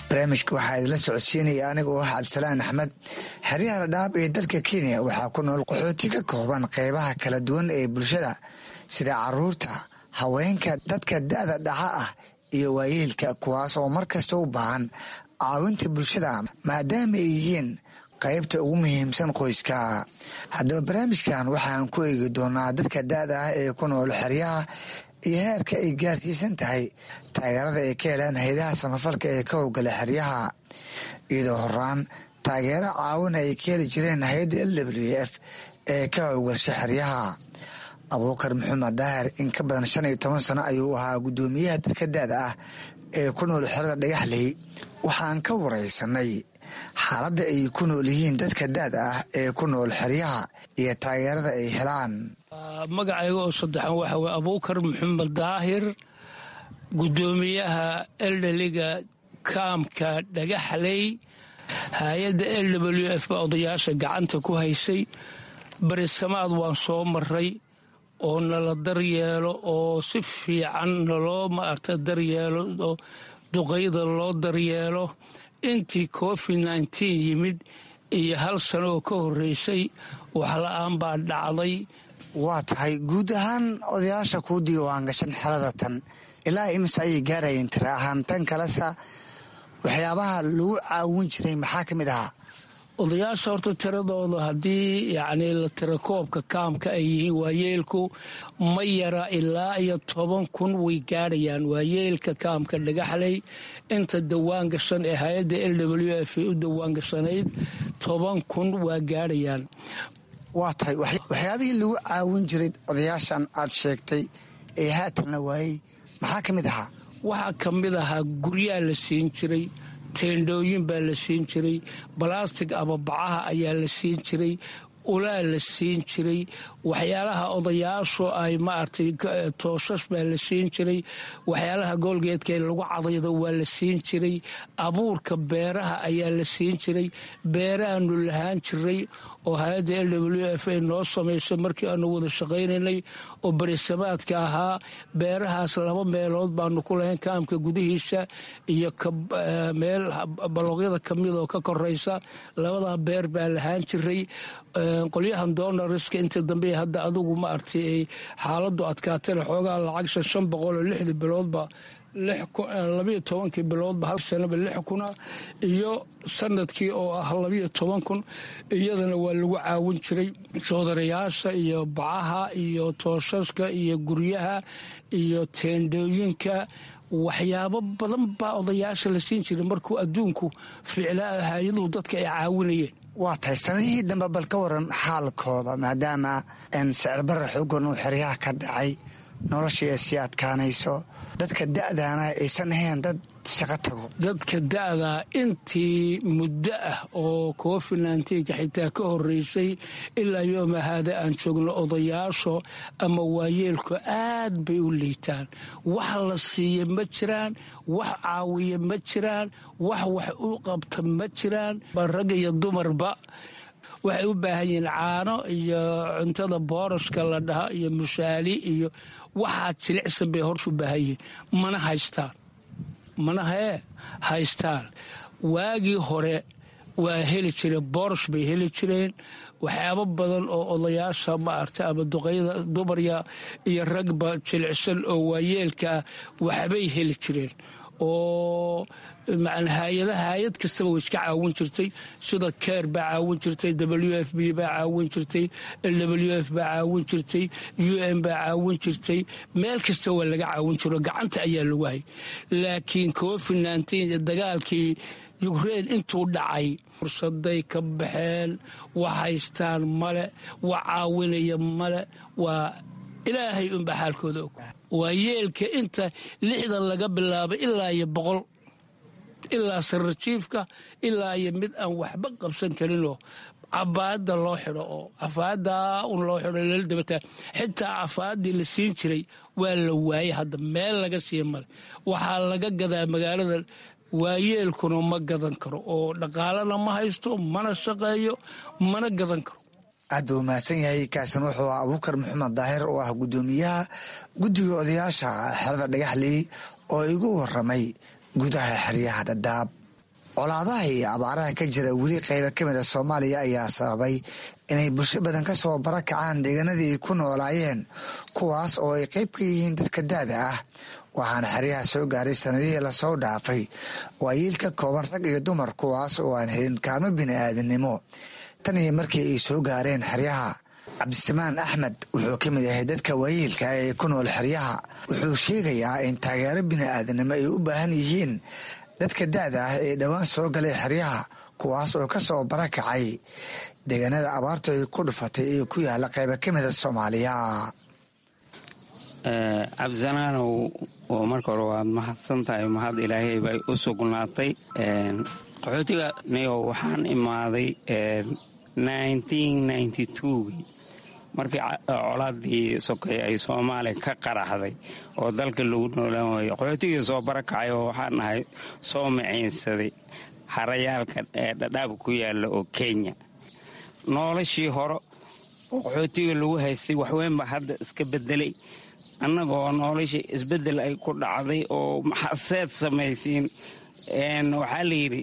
Barnaamijka waxaa idinla socodsiinaya aniga oo ah Cabdisalaan Axmed. Xeryaha Dhadhaab ee dalka Kenya waxaa ku nool qaxooti ka kooban qeybaha kala duwan ee bulshada, sida caruurta, haweenka, dadka da-da dhaxa ah iyo waayeelka, kuwaas oo mar kasta u baahan caawinta bulshada maadaama ay yihiin qaybta ugu muhiimsan qoyska. Haddaba barnaamijkan waxaan ku eegi doonaa dadka da-da ah ee ku nool xeryaha iyo heerka ay gaarsiisan tahay taageerada ay ka helaan hayadaha samafalka ee ka howlgala xeryaha, iyadoo horaan taageero caawina ay ka heli jireen hay-adda L W F ee ka howlgasha xeryaha. Abuukar Maxamed Daahir in ka badan shan iyo toban sano ayuu ahaa guddoomiyaha dadka da-da ah ee ku nool xerada Dhagaxley. Waxaan ka wareysanay xaaladda ay ku nool yihiin dadka da-da ah ee ku nool xeryaha iyo taageerada ay helaan. Magacayga oo saddexan waxa weye Abuukar Maxamed Daahir, guddoomiyaha elderly-ga kaamka Dhagaxley. Hay-adda L W F baa odayaasha gacanta ku haysay. Berisamaad waan soo maray oo nala daryeelo oo si fiican naloo maarta daryeelo oo duqayda loo daryeelo. Intii COVID nineteen yimid iyo hal sano oo ka horreysay, wax la-aan baa dhacday. Waa tahay, guud ahaan odayaasha kuu diiwaan gashan xerada tan ilaa imise ayay gaarayeen tira ahaan? Tan kalesa, waxyaabaha lagu caawin jiray maxaa ka mid ahaa? Odayaasha horta tiradooda haddii yacni la tirakoobka kaamka ay yihiin waayeelku ma yara, ilaa iyo toban kun way gaadhayaan waayeelka kaamka Dhagaxley. Inta dawaan gashan ee hay-adda L W F ay u dawaan gashanayd toban kun waa gaadhayaan. Waa tahay, waxyaabihii lagu caawin jiray odayaashan aad sheegtay ee haatan la waayey maxaa ka mid ahaa? Waxaa ka mid ahaa guryaa la siin jiray, teendhooyin baa la siin jiray, balastig ababacaha ayaa la siin jiray, ulaa la siin jiray, waxyaalaha odayaashu ay maaragtay tooshash baa la siin jiray, waxyaalaha goolgeedka ee lagu cadaydo waa la siin jiray, abuurka beeraha ayaa la siin jiray. Beerahaanu lahaan jiray oo hay-adda L W F ay noo samaysay markii aanu wada shaqaynaynay oo berisamaadka ahaa. Beerahaas laba meelood baanu ku lahayn kaamka gudihiisa iyo meel balooqyada kamid oo ka koraysa. Labadaa beer baa lahaan jiray. Qolyahan donors-ka inta dambe hadda adigu maaragtay ay xaaladu adkaatayna, xoogaa lacag shan shan boqol oo lixdii biloodba Labiyo tobankii biloodba hal sanaba lix kuna iyo sanadkii oo ah labiyo toban kun iyadana waa lagu caawin jiray joodarayaasha iyo bacaha iyo tooshaska iyo guryaha iyo teendhooyinka. Waxyaabo badan baa odayaasha la siin jiray markuu adduunku ficlaa hay-aduhu dadka ay caawinayeen. Waa tahay, sanadihii dambe bal ka waran xaalkooda, maadaama sicir barra xoogan uu xeryaha ka dhacay, noloshii ay sii adkaanayso, dadka da'daana aysan ahayn dad shaqo tago? Dadka da'daa intii muddo ah oo covid nineteenka xitaa ka horreysay ilaa yooma haada aan joogno, odayaasho ama waayeelku aad bay u liitaan. Wax la siiya ma jiraan, wax caawiya ma jiraan, wax wax u qabta ma jiraan. Rag iyo dumarba waxay u baahan yihiin caano iyo cuntada boorashka la dhaha iyo mushaali iyo waxaa jilicsan bay horta u baahan yihiin, mana haystaan, mana hee haystaan. Waagii hore waa heli jireen, boorash bay heli jireen, waxyaabo badan oo odayaasha maaragtay ama duqayda, dumarya iyo ragba jilicsan oo waayeelka ah waxbay heli jireen oo hay-adaha, hay-ad kastaba way iska caawin jirtay, sida CARE baa caawin jirtay, W F P baa caawin jirtay, W F baa caawin jirtay, U N baa caawin jirtay, meel kasta waa laga caawin jiro, gacanta ayaa lagu hayay. Laakiin covid nineteen, dagaalkii Ukraine intuu dhacay, fursaday ka baxeen. Wax haystaan male, wax caawinaya male, waa Ilaahay unba xaalkooda og. Waa yeelka inta lixdan laga bilaabay ilaa iyo boqol, ilaa sarrajiifka, ilaa iyo mid aan waxba qabsan karinoo cabaada loo xidho oo cafaada un loo xidho lala dabataa. Xitaa cafaadii la siin jiray waa la waayey, hadda meel laga siiya male. Waxaa laga gadaa magaalada, waayeelkuna ma gadan karo oo dhaqaalana ma haysto, mana shaqeeyo, mana gadan karo. Aad buu mahadsan yahay. Kaasan wuxuu ah Abuukar Maxamed Daahir oo ah guddoomiyaha guddiga odayaasha xerada Dhagaxley oo igu waramay gudaha xeryaha Dhadhaab. Colaadaha iyo abaaraha ka jira weli qayba ka mid a Soomaaliya ayaa sababay inay bulsho badan ka soo barakacaan deegaanadii ay ku noolaayeen, kuwaas oo ay qayb ka yihiin dadka da'da ah. Waxaana xeryaha soo gaaray sanadihii lasoo dhaafay waayiil ka kooban rag iyo dumar, kuwaas oo aan helin kaalmo bini'aadanimo tan iyo markii ay soo gaareen xeryaha. Cabdisamaan Axmed wuxuu ka mid yahay dadka waayeelka ee ku nool xeryaha. Wuxuu sheegayaa in taageero bini'aadanimo ay u baahan yihiin dadka da'da ah ee dhowaan soo galay xeryaha, kuwaas oo ka soo barakacay deegaanada abaartu ay ku dhufatay ee ku yaala qayba ka mida Soomaaliya. Cabdisalaanow, oo marka hore waad mahadsan tahay, mahad Ilaahay bay u sugnaatay. Qaxootiga niyo waxaan imaaday gii markii colaadii sokay ay Soomaaliya ka qaraxday oo dalka lagu noolaan waayey. Qaxootigii soo barakacay oo waxaan ahay soo maciinsaday harayaalka ee Dhadhaab ku yaala oo Kenya. Noloshii hore oo qaxootiga lagu haystay waxweyn baa hadda iska bedelay. Annagoo noloshii isbedel ay ku dhacday oo maxaseed samaysiin, waxaa la yidhi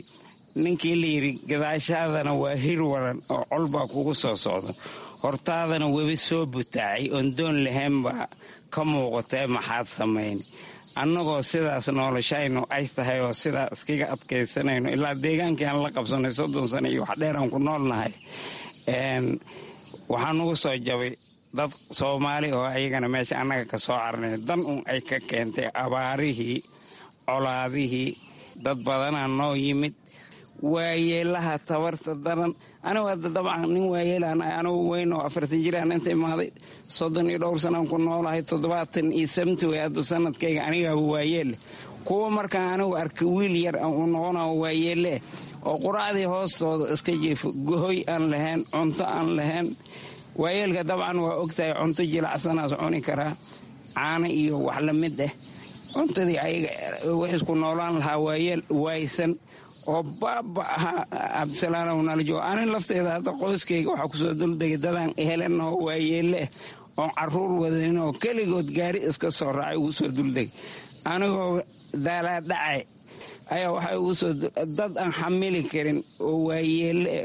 ninkii la yidhi gadaashaadana waa hir waran oo col baa kugu soo socda, hortaadana webi soo butaacay oon doon lahayn baa ka muuqatee, maxaad samayn? Annagoo sidaas noloshaynu ay tahay oo sidaa iskaga adkaysanayno ilaa deegaankii aan la qabsanay soddon sano iyo wax dheeraan ku noolnahay, waxaa nugu soo jabay dad Soomaali oo ayagana meesha annaga ka soo carnay, dan un ay ka keentay abaarihii, colaadihii. Dad badanaa noo yimid, waayeelaha tabarta daran. Anigu hadda dabcan nin waayeelaan, anigu weyn oo afartan jiraan inta imaaday, soddon iyo dhowr sanaan ku noolahay, toddobaatan iyo seventy way hadda sanadkayga, anigaaba waayeelle. Kuwa markaan anigu arkay wiil yar uu noqonayo waayeelle oo quraacdii hoostooda iska jiifo, gohoy aan lahayn, cunto aan lahayn. Waayeelka dabcan waa ogtahay, cunto jilacsanaas cuni karaa, caano iyo wax la mid ah. Cuntadii ayaga wixisku noolaan lahaa waayeel waaysan oo baaba ahaa. Cabdisalaanow, nala joogo. Anin lafteeda hadda qoyskayga waxaa kusoo duldegay dadaan helanoo waayeelle oon caruur wadanin oo keligood gaari iska soo raacay ugu soo duldegay. Anigoo daalaadhacay ayaa waxay ugu soo dad aan xamili karin oo waayeelle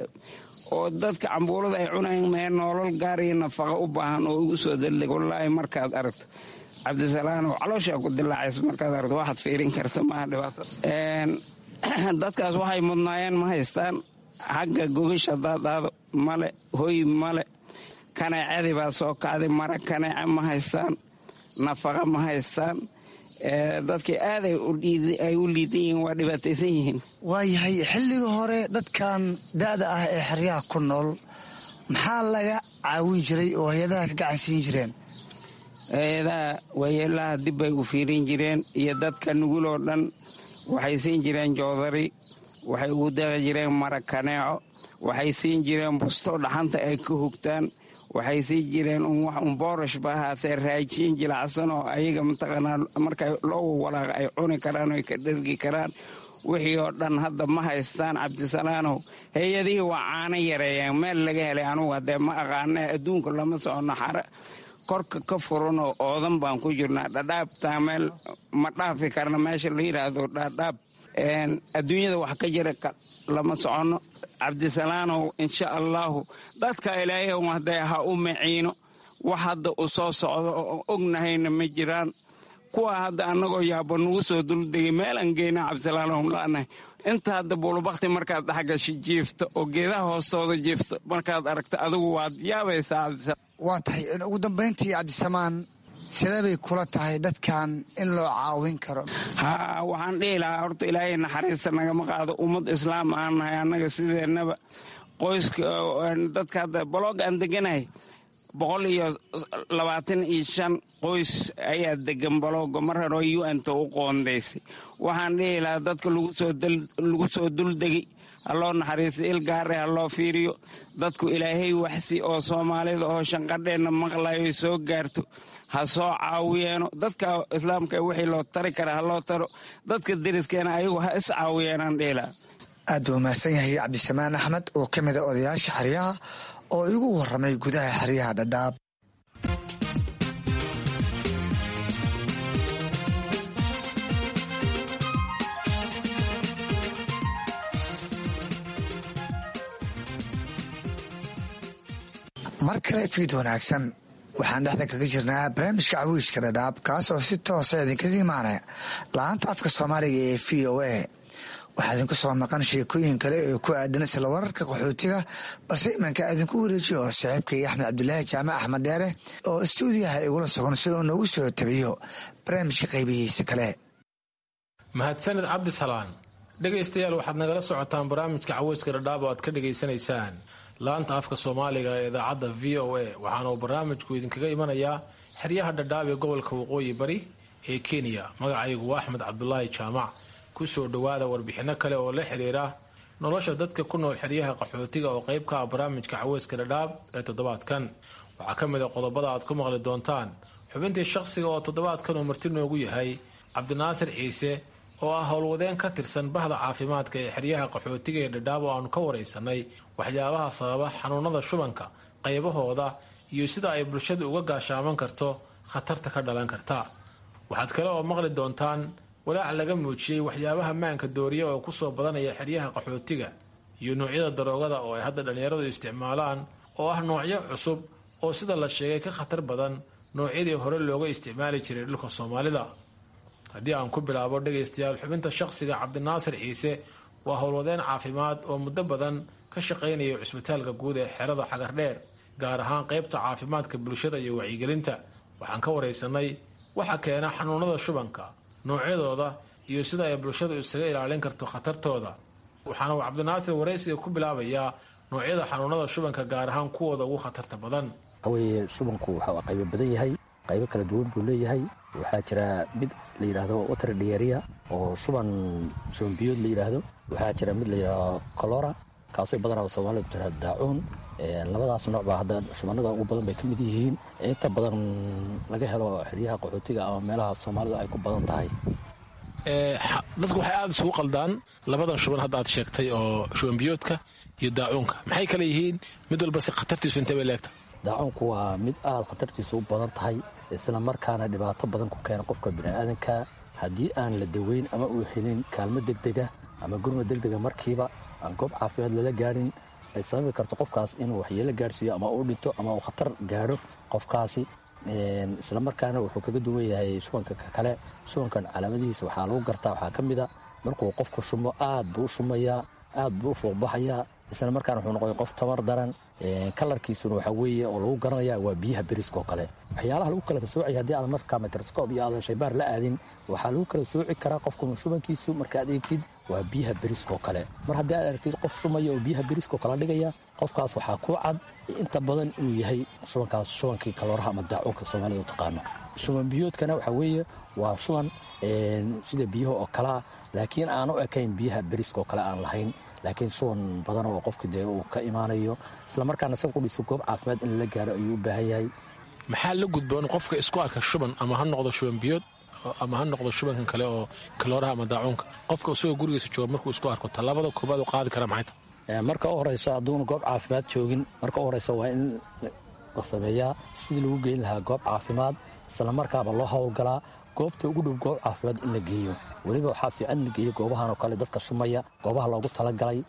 oo dadka cambuulada ay cunayeen mee, noolol gaar iyo nafaqo u baahan oo igu soo duldegay. Wallaahi markaad aragto, Cabdisalaanow, calooshaa ku dilaacaysa markaad aragto, waxaad fiirin karta maaha dhibaato. Dadkaas waxay mudnaayeen ma haystaan. Xagga gogasha daadaado male, hoy male, kaneecadii baa soo kacday, mara kaneeca ma haystaan, nafaqa ma haystaan. Dadkii aaday ay u liidan yihiin, waa dhibaataysan yihiin. Waayahay, xilliga hore dadkan da'da ah ee xeryaha ku nool maxaa laga caawin jiray oo hay-adaha ka gacan siin jireen? Hay-adaha waayeelaha dib bay u fiirin jireen iyo dadka nugul oo dhan. Waxay siin jireen joodari, waxay ugu deeqi jireen mara kaneeco, waxay siin jireen busto dhaxanta ay ka hugtaan, waxay siin jireen wax un boorash ba ahaatee, raajin jilacsan oo ayaga mataqaanaa marka loo walaaqa ay cuni karaan oo ay ka dhergi karaan. Wixii oo dhan hadda ma haystaan, Cabdisalaanow. Hay-adihii waa caano yareeyeen. Meel laga helay anugu haddee ma aqaane, adduunka lama socono, xare korka ka furan oo oodan baan ku jirnaa. Dhadhaabtaa meel ma dhaafi karna, meesha la yidhaahdo dhadhaab adduunyada wax ka jira lama soconno, Cabdisalaanow. Insha allaahu dadka Ilaahay hadee ha u maciino. Wax hadda u soo socdo oo ognahayna ma jiraan. Kuwa hadda annagoo yaaba nugu soo duldegay, meelaan geyna, Cabdisalaanow, la'nahay. Inta hadda buulubakti markaad dhexgasho jiifto oo geedaha hoostooda jiifto markaad aragto, adigu waad yaabaysaa, Cabdisalaam. Waa tahay, ugu dambayntii Cabdisamaan, sidee bay kula tahay dadkan in loo caawin karo? Haa, waxaan dhihi lahaa horta Ilaahay naxariista nagama qaado. Ummad islaam aan nahay annaga sideennaba. Qoyska dadka hadda boloog aan deganahay boqol iyo labaatan iyo shan qoys ayaa degan balooga, mar hore U N-ta u qoondaysay. Waxaan dhihi lahaa dadka lagu soo duldegay ha loo naxariista, il gaare ha loo fiiriyo. Dadku Ilaahay waxsi oo Soomaalida oo shanqadheenna maqlayo soo gaarto ha soo caawiyeeno. Dadka islaamka wixii loo tari kara ha loo taro. Dadka deriskeena ayagu ha is caawiyeenaan dhihi lahaa. Aad buu mahadsan yahay Cabdisamaan Axmed oo ka mid a odayaasha xeryaha oo igu waramay gudaha xeryaha Dhadhaab. Mar kale fiid wanaagsan. Waxaan dhexda kaga jirnaa barnaamijka Cawiiska Dhadhaab, kaas oo si toosa idinkaga imaanaya laanta afka Soomaaliga ee V O A. Waxaa idinku soo maqan sheekooyin kale oo ku aadan isla wararka qaxootiga, balse imanka idinku wareejiyo oo saaxiibkay Axmed Cabdulaahi Jaamac, Axmed Dheere, oo istuudiyaha igula sugan si uu noogu soo tabiyo barnaamijka qaybihiisa kale. Mahadsanid, Cabdisalaan. Dhegaystayaal, waxaad nagala socotaan barnaamijka Caweyska Dhadhaab oo aad ka dhegaysanaysaan laanta afka Soomaaliga ee idaacadda V O A. Waxaana uu barnaamijku idinkaga imanayaa xeryaha Dhadhaab ee gobolka Waqooyi Bari ee Kenya. Magacaygu waa Axmed Cabdulaahi Jaamac. Kusoo dhowaada warbixinno kale oo la xiriira nolosha dadka ku nool xeryaha qaxootiga oo qayb ka ah barnaamijka Caweyska Dhadhaab ee toddobaadkan. Waxaa ka mid a qodobada aad ku maqli doontaan xubintii shaqsiga oo toddobaadkan uu marti noogu yahay Cabdinaasir Ciise oo ah howlwadeen ka tirsan bahda caafimaadka ee xeryaha qaxootiga ee Dhadhaab, oo aanu ka waraysanay waxyaabaha sababa xanuunada shubanka, qaybahooda iyo sida ay bulshadu uga gaashaaman karto khatarta ka dhalan karta. Waxaad kale oo maqli doontaan walaac laga muujiyey waxyaabaha maanka dooriya oo kusoo badanaya xeryaha qaxootiga iyo noocyada daroogada oo ay hadda dhallinyaradu isticmaalaan, oo ah noocyo cusub oo sida la sheegay ka khatar badan noocyadii hore looga isticmaali jiray dhulka Soomaalida. Haddii aan ku bilaabo, dhegaystayaal, xubinta shaqsiga, Cabdinaasir Ciise waa howlwadeen caafimaad oo muddo badan ka shaqaynaya cusbitaalka guud ee xerada Xagardheer, gaar ahaan qaybta caafimaadka bulshada iyo wacyigelinta. Waxaan ka waraysanay waxa keena xanuunada shubanka, noocyadooda iyo sida ay bulshadu isaga ilaalin karto khatartooda. Waxaana uu Cabdinaasir waraysiga ku bilaabayaa noocyada xanuunada shubanka, gaar ahaan kuwooda ugu khatarta badan. Waxaweye, shubanku waxa uu qaybo badan yahay, qaybo kala duwan buu leeyahay. Waxaa jira mid la yidhaahdo water diarrhea oo shuban shubanbiyood la yidhaahdo. Waxaa jira mid la yidhaahdo cholera, kaasoo badanaa Soomaalidu tiraahdo daacuun. Labadaas nooc baa hadda shubanada ugu badan bay ka mid yihiin, inta badan laga helo xeryaha qaxootiga ama meelaha Soomaalidu ay ku badan tahay. Dadku waxay aada isugu qaldaan labadan shuban hadda aad sheegtay oo shubanbiyoodka iyo daacuunka. Maxay kala yihiin mid walba si khatartiisu intee bay leegta? Daacuunku waa mid aada khatartiisu u badan tahay, isla markaana dhibaato badan ku keena qofka bini'aadanka haddii aan la daweyn ama uu helin kaalmo degdega ama gurma degdega markiiba aan goob caafimaad lala gaadhin, ay sababi karto qofkaas inuu waxyeelo gaadhsiiyo ama uu dhinto ama uu khatar gaadho qofkaasi. Isla markaana wuxuu kaga duwan yahay shubanka kale. Shubankan calaamadihiisa waxaa lagu gartaa waxaa ka mid a markuu qofku shumo, aad buu u shumayaa, aad buu u fuuqbaxayaa, isla markaana wuxuu noqday qof tamar daran. Kalarkiisuna waxaa weeye oo lagu garanaya waa biyaha beriska oo kale. Waxyaalaha lagu kala soocaya, haddii aadan markaa microscope iyo aadan shaybaar la aadin, waxaa lagu kala sooci karaa qofka shubankiisu markaad eegtid waa biyaha beriska oo kale. Mar haddii aad aragtid qof shumaya oo biyaha beriska oo kala dhigaya, qofkaas waxaa ku cad inta badan inuu yahay shubankaas shubankii kalooraha ama daacuunka Soomaalida u taqaano. Shuban biyoodkana waxaa weeye waa shuban sida biyaha oo kalea, laakiin aan u ekayn biyaha beriska oo kale aan lahayn, laakiin shuban badan oo qofka dee uu ka imaanayo. Isla markaana isaga qudhiisa goob caafimaad in lala gaaro ayuu u baahan yahay. Maxaa la gudboon qofka isku arka shuban, ama ha noqdo shuban biyood ama ha noqdo shubankan kale oo kalooraha ama daacuunka? Qofka isagoo gurigiisa jooga markuu isku arko, tallaabada koobaad u qaadi kara maxay tahay? Marka u horeyso, hadduuna goob caafimaad joogin, marka u horeyso waa in la sameeyaa sidii lagu geyn lahaa goob caafimaad, isla markaaba loo howlgalaa goobta ugu dhow goob caafimaad in la geeyo. Weliba waxaa fiican in la geeyo goobahan oo kale dadka shumaya, goobaha loogu talagalay,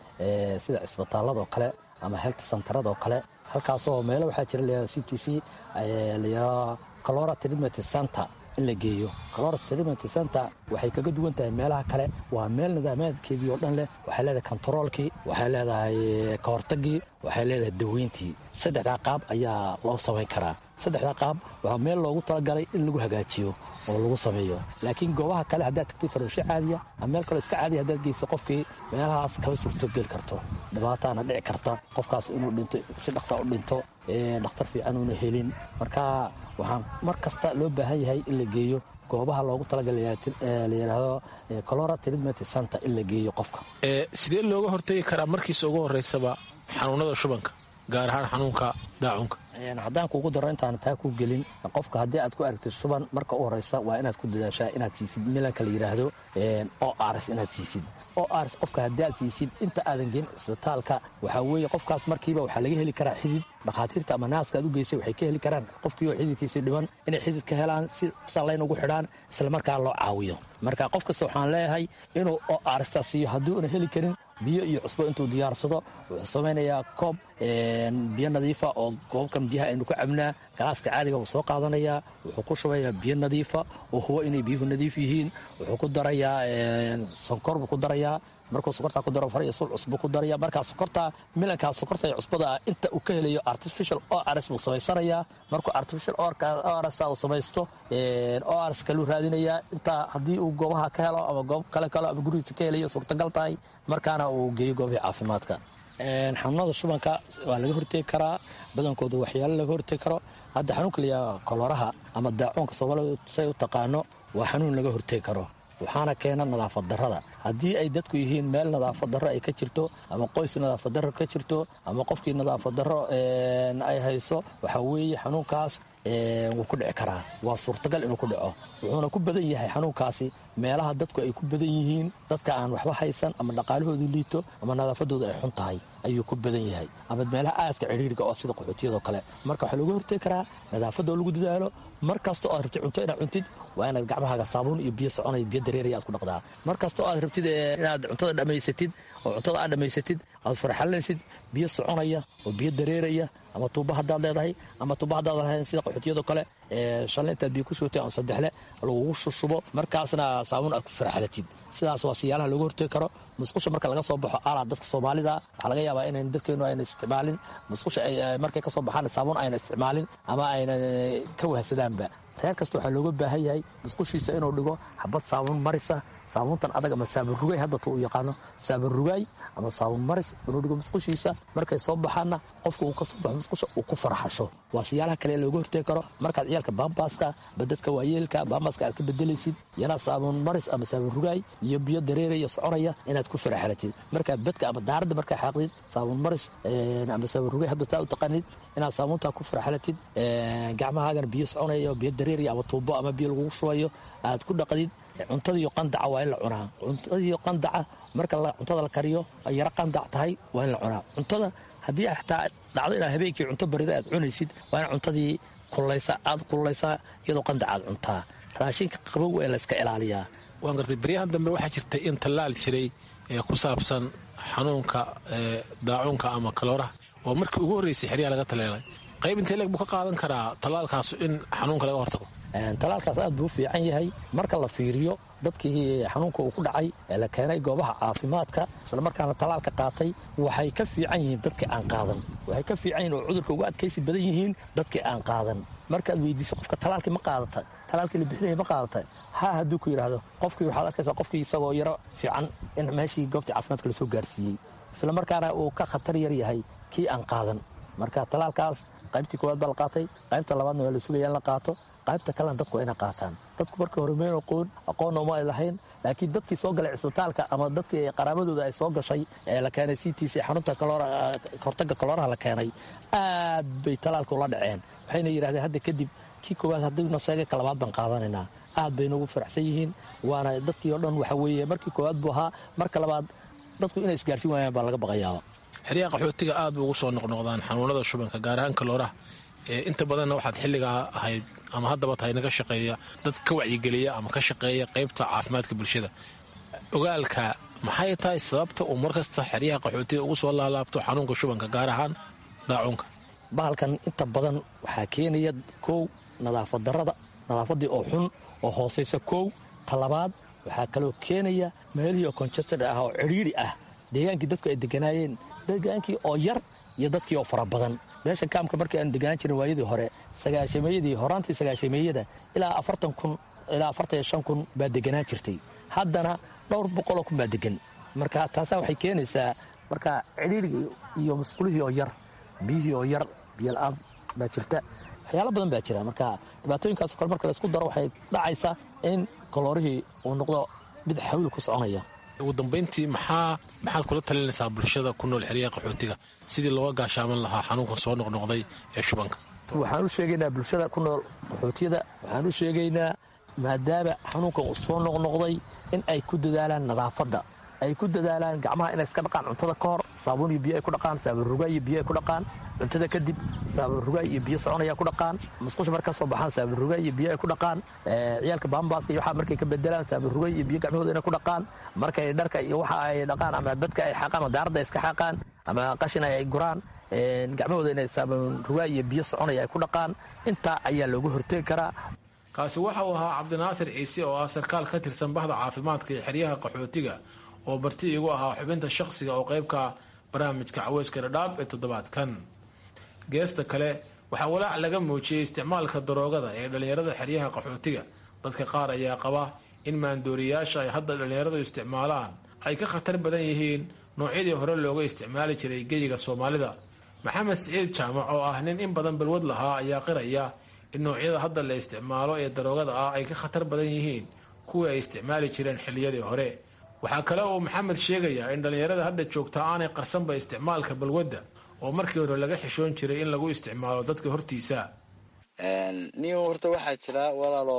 sida cisbitaalada oo kale ama health centerada oo kale. Halkaasoo meelo waxaa jira la C T C la cholera treatment center in la geeyo. Cholera treatment center waxay kaga duwan tahay meelaha kale, waa meel nidaamaadkeedii oo dhan leh. Waxay leedahay kontaroolkii, waxay leedahay kahortagii, waxay leedahay daweyntii. Saddexdaa qaab ayaa loo samayn karaa. Saddexdaa qaab waa meel loogu talagalay in lagu hagaajiyo oo lagu sameeyo. Laakiin goobaha kale haddaad tagtay farmasho caadiya ama meel kaloo iska caadiya haddaad geyso qofkii, meelahaas kama suurtogeli karto. Dhibaataana dhici karta qofkaas inuu dhinto, si dhaqsa u dhinto, dhakhtar fiican uuna helin. Marka waxaan mar kasta loo baahan yahay in la geeyo goobaha loogu talagalay la yidhaahdo cholera treatment center in la geeyo qofka. Sidee looga hortegi karaa markiisa ugu horreysaba xanuunada shubanka, gaar ahaan xanuunka daacunka? Haddaan kuugu daro intaan taa ku gelin, qofka haddii aad ku aragtid shuban, marka u horeysa waa inaad ku dadaashaa inaad siisid milanka la yidhaahdo O R S. Inaad siisid O R S qofka haddii aad siisid inta aadan geen cisbitaalka, waxaa weeye qofkaas markiiba waxaa laga heli karaa xidid. Dhakhaatiirta ama naaska aad u geysay waxay ka heli karaan qofkii oo xididkiisii dhiban inay xidid ka helaan, si sallayn ugu xidhaan, isla markaa loo caawiyo. Marka qof kasta waxaan leeyahay inuu O R S siiyo. Haddii una heli karin, biyo iyo cusbo intuu diyaarsado, wuxuu samaynayaa koob biyo nadiifa oo koobkan biyaha aynu ku cabnaa, galaaska caadiga uu soo qaadanayaa, wuxuu ku shubayaa biyo nadiifa oo hubo inay biyuhu nadiif yihiin. Wuxuu ku darayaa sonkor buu ku darayaa. Markuu sokortaa ku daro, far iyo sul cusbo ku daraya. Markaa sokortaa, milankaa sokorta iyo cusbada ah inta uu ka helayo artificial O R S buu samaysanayaa. Markuu artificial O R S uu samaysto, O R S kaluu raadinayaa intaa haddii uu goobaha ka helo ama goob kale kale ama gurigiisa ka helayo suurtagal tahay, markaana uu geeyo goobihii caafimaadka. Xanuunada shubanka waa laga hortegi karaa badankooda, waxyaalo laga hortegi karo. Hadda xanuunka layaha koloraha ama daacuunka Soomaalida say u taqaano waa xanuun laga hortegi karo, waxaana keena nadaafad darrada. Haddii ay dadku yihiin meel nadaafad darro ay ka jirto, ama qoys nadaafad darro ka jirto, ama qofkii nadaafad darro ay hayso, waxaa weeye xanuunkaas wuu ku dhici karaa, waa suurtagal inuu ku dhaco. Wuxuuna ku badan yahay xanuunkaasi meelaha dadku ay ku badan yihiin, dadka aan waxba haysan ama dhaqaalahoodu liito ama nadaafadoodu ay xun tahay ayuu ku badan yahay, ama meelaha aaska cidhiiriga oo sida qaxootiyadoo kale. Marka waxaa looga hortegi karaa nadaafadoo lagu dadaalo. Mar kasta oo aad rabtid cunto inaad cuntid, waa inaad gacmahaaga saabuun iyo biyo soconaya, biyo dareeraya aad ku dhaqdaa. Mar kasta oo aad rabtid inaad cuntada dhammaysatid oo cuntada aad dhammaysatid aad farxalinaysid, biyo soconaya oo biyo dareeraya, ama tuuba haddaad leedahay ama tuuba haddaad lahayn sida qaxootiyadoo kale, shalay intaad biyo ku shubtay ama saddexle lagugu shushubo, markaasna saabuun aad ku farxalatid. Sidaas waa siyaalaha looga hortegi karo. Musqusha marka laga soo baxo, alaa dadka Soomaalida waxaa laga yaabaa inayn dadkeenu ayna isticmaalin musqusha, markay ka soo baxaan saabuun ayna isticmaalin ama ayna ka wahsadaanba. Reer kasta waxaa looga baahan yahay musqushiisa inuu dhigo xabad saabuun marisa, saabuuntan adag ama saabuun rugaay hadda tu u yaqaano, saabuun rugaay ama saabuun maris inuu dhigo musqushiisa. Markay soo baxaanna qofka uu ka soo baxo musqusha uu ku farxasho. Waa siyaalaha kale looga hortegi karo. Markaad ciyaalka baambaaska ba dadka waayeelka baambaaska aad ka bedelaysid, yana saabuun maris ama saabuun rugaay iyo biyo dareeraya soconaya inaad ku farxalatid. Markaad badka ama daaradda markaa xaaqdid, saabuun maris ama saabuun rugaay hadda taa u taqaanid inaad saabuuntaa ku farxalatid, gacmahaagana biyo soconaya, biyo dareeraya ama tuubo ama biyo lagugu shubayo aad ku dhaqdid. Cuntadiiyo qandaca waa in la cunaa. Cuntadiiyo qandaca marka cuntada la kariyo ay yaro qandac tahay waa in la cunaa cuntada. Haddii xataa dhacdo inaad habeenkii cunto barida aad cunaysid, waa in cuntadii kululaysa aad kululaysaa iyadoo qandac aad cuntaa. Raashinka qabow waa in la iska ilaaliyaa. Waan gartay. Baryahan dambe waxaa jirtay in tallaal jiray ee ku saabsan xanuunka daacuunka ama kalooraha oo markii ugu horreysay xeryaha laga taleelay. Qayb intee leeg buu ka qaadan karaa tallaalkaas in xanuunka laga hortago? Talaalkaas aad buu u fiican yahay marka la fiiriyo dadkii xanuunka uu ku dhacay ee la keenay goobaha caafimaadka islamarkaana talaalka qaatay, waxay ka fiican yihiin dadkii aan qaadan. Waxay ka fiican yihin oo cudurka uga adkaysi badan yihiin dadkii aan qaadan. Markaad weydiiso qofka, talaalkii ma qaadata, talaalkii la bixinaya ma qaadata, haa hadduu ku yidhaahdo, qofkii waxaad arkaysaa qofkii isagoo yaro fiican in meeshii goobtii caafimaadka lasoo gaarsiiyey, islamarkaana uu ka khatar yar yahay kii aan qaadan. Marka talaalkaas qaybtii koowaad baa la qaatay, qaybta labaadna waa la sugaya in la qaato, qaybta kalena dadku waa inay qaataan. Dadku markii hore meen aqoon, aqoonna uma ay lahayn, laakiin dadkii soo galay cisbitaalka ama dadkii qaraabadooda ay soo gashay ee la keenay c t c xarunta kahortagga kolooraha la keenay, aad bay talaalka ula dhaceen. Waxayna yidhahdeen, hadda kadib kii koowaad haddii naseega, ka labaad baan qaadanaynaa. Aad bay noogu faraxsan yihiin, waana dadkii oo dhan. Waxa weeye markii koowaad buu ahaa, marka labaad dadku inay isgaarsiin waayaan baa laga baqayaaba. Xeryaha qaxootiga aad ba ugu soo noqnoqdaan xanuunada shubanka, gaar ahaan kalooraha. Inta badanna waxaad xilligaa ahayd ama haddaba tahay naga shaqeeya dad ka wacyigeliya ama ka shaqeeya qaybta caafimaadka bulshada. Ogaalka, maxay tahay sababta uu markasta xeryaha qaxootiga ugu soo laalaabto xanuunka shubanka, gaar ahaan daacuunka? Bahalkan inta badan waxaa keenaya kow nadaafad darada, nadaafaddii oo xun oo hoosaysa kow. Talabaad waxaa kaloo keenaya meelihii oo congested ah oo cidhiidhi ah, deegaankii dadku ay deganaayeen, deegaankii oo yar iyo dadkii oo fara badan. Meesha kaamka markii aanu deganaan jirin waayadii hore, sagaashameeyadii, horaantii sagaashameeyada, ilaa afartan kun ilaa afartan iyo shan kun baa deganaan jirtay. Haddana dhowr boqoloo kun baa degan. Marka taasaa waxay keenaysaa marka cidhiidhigii iyo musqulihii oo yar, biyihii oo yar, biyo la-aan baa jirta, waxyaalo badan baa jira. Marka dhibaatooyinkaasoo kale marka laisku daro, waxay dhacaysaa in kaloorihii uu noqdo mid xawli ku soconaya. Ugu dambayntii, maxaa maxaad kula talinaysaa bulshada ku nool xeryaha qaxootiga sidii looga gaashaaman lahaa xanuunkan soo noqnoqday ee shubanka? Waxaan u sheegaynaa bulshada ku nool qaxootiyada, waxaan u sheegaynaa maadaama xanuunkan uu soo noqnoqday in ay ku dadaalaan nadaafadda, ay ku dadaalaan gacmaha inay iska dhaqaan cuntada ka hor, saabuun iyo biyo ay ku dhaqaan, saabuun rugaa iyo biyo ay ku dhaqaan, cuntada kadib saabuun rugaa iyo biyo soconaya ku dhaqaan, musqusha marka soo baxaan saabuun rugaa iyo biyo ay ku dhaqaan, ciyaalka baambaaska iyo waxaa markay ka bedelaan saabuun rugaa iyo biyo gacmahooda inay ku dhaqaan, markay dharka iyo waxa ay dhaqaan ama badka ay xaaqaan ama daaradda ay iska xaaqaan ama qashin ay guraan, gacmahooda inay saabuun rugaa iyo biyo soconaya ay ku dhaqaan. Intaa ayaa looga hortegi karaa. Kaasi waxa uu ahaa Cabdinaasir Ciise oo ah sarkaal ka tirsan bahda caafimaadka ee xeryaha qaxootiga oo marti igu ahaa xubinta shaqsiga oo qaybka barnaamijka Caweyska Dhadhaab ee toddobaadkan. Geesta kale, waxaa walaac laga muujiyey isticmaalka daroogada ee dhallinyarada xeryaha qaxootiga. Dadka qaar ayaa qaba in maandooriyaasha ay hadda dhallinyaradu isticmaalaan ay ka khatar badan yihiin noocyadii hore looga isticmaali jiray geyiga Soomaalida. Maxamed Siciid Jaamac oo ah nin in badan balwad lahaa ayaa qiraya in noocyada hadda la isticmaalo ee daroogada ah ay ka khatar badan yihiin kuwii ay isticmaali jireen xilliyadii hore. Waxaa kale uu Maxamed sheegayaa in dhallinyarada hadda joogta aanay qarsanba isticmaalka balwadda, oo markii hore laga xishoon jiray in lagu isticmaalo dadka hortiisa. Niyo, horta waxaa jira, walaalo,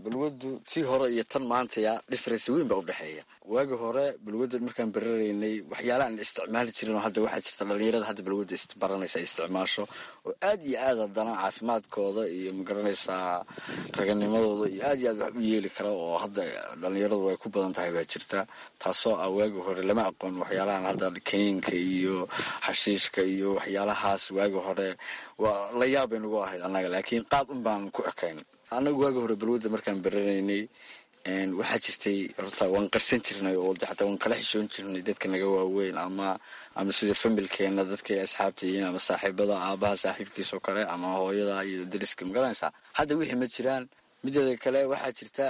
balwaddu tii hore iyo tan maantaya difference weyn baa udhexeeya. Waagi hore balwadda markaan bararaynay, waxyaala aan isticmaali jirin oo hadda waxaa jirta dhalinyarada hadda balwadda baranaysa ay isticmaasho oo aad iyo aad haddana caafimaadkooda iyo, magaranaysaa, raganimadooda iyo aad iyo aad wax u yeeli kara oo hadda dhalinyaradu ay ku badan tahay baa jirta, taasoo ah waagi hore lama aqoon waxyaalahan hadda kaniinka iyo xashiishka iyo waxyaalahaas. Waagi hore waa la yaab bay nagu ahayd annaga, laakiin qaad un baan ku ekayn annagu. Waagi hore balwadda markaan baranaynay, waxaa jirtay horta waan qarsan jirnay oo de xataa waan kala xishoon jirnay dadka naga waaweyn ama ama sida familkeena, dadkay asxaabta yihiin ama saaxiibada, aabaha saaxiibkiis oo kale ama hooyada iyo dariska, magaranaysaa. Hadda wixii ma jiraan. Mideeda kale waxaa jirta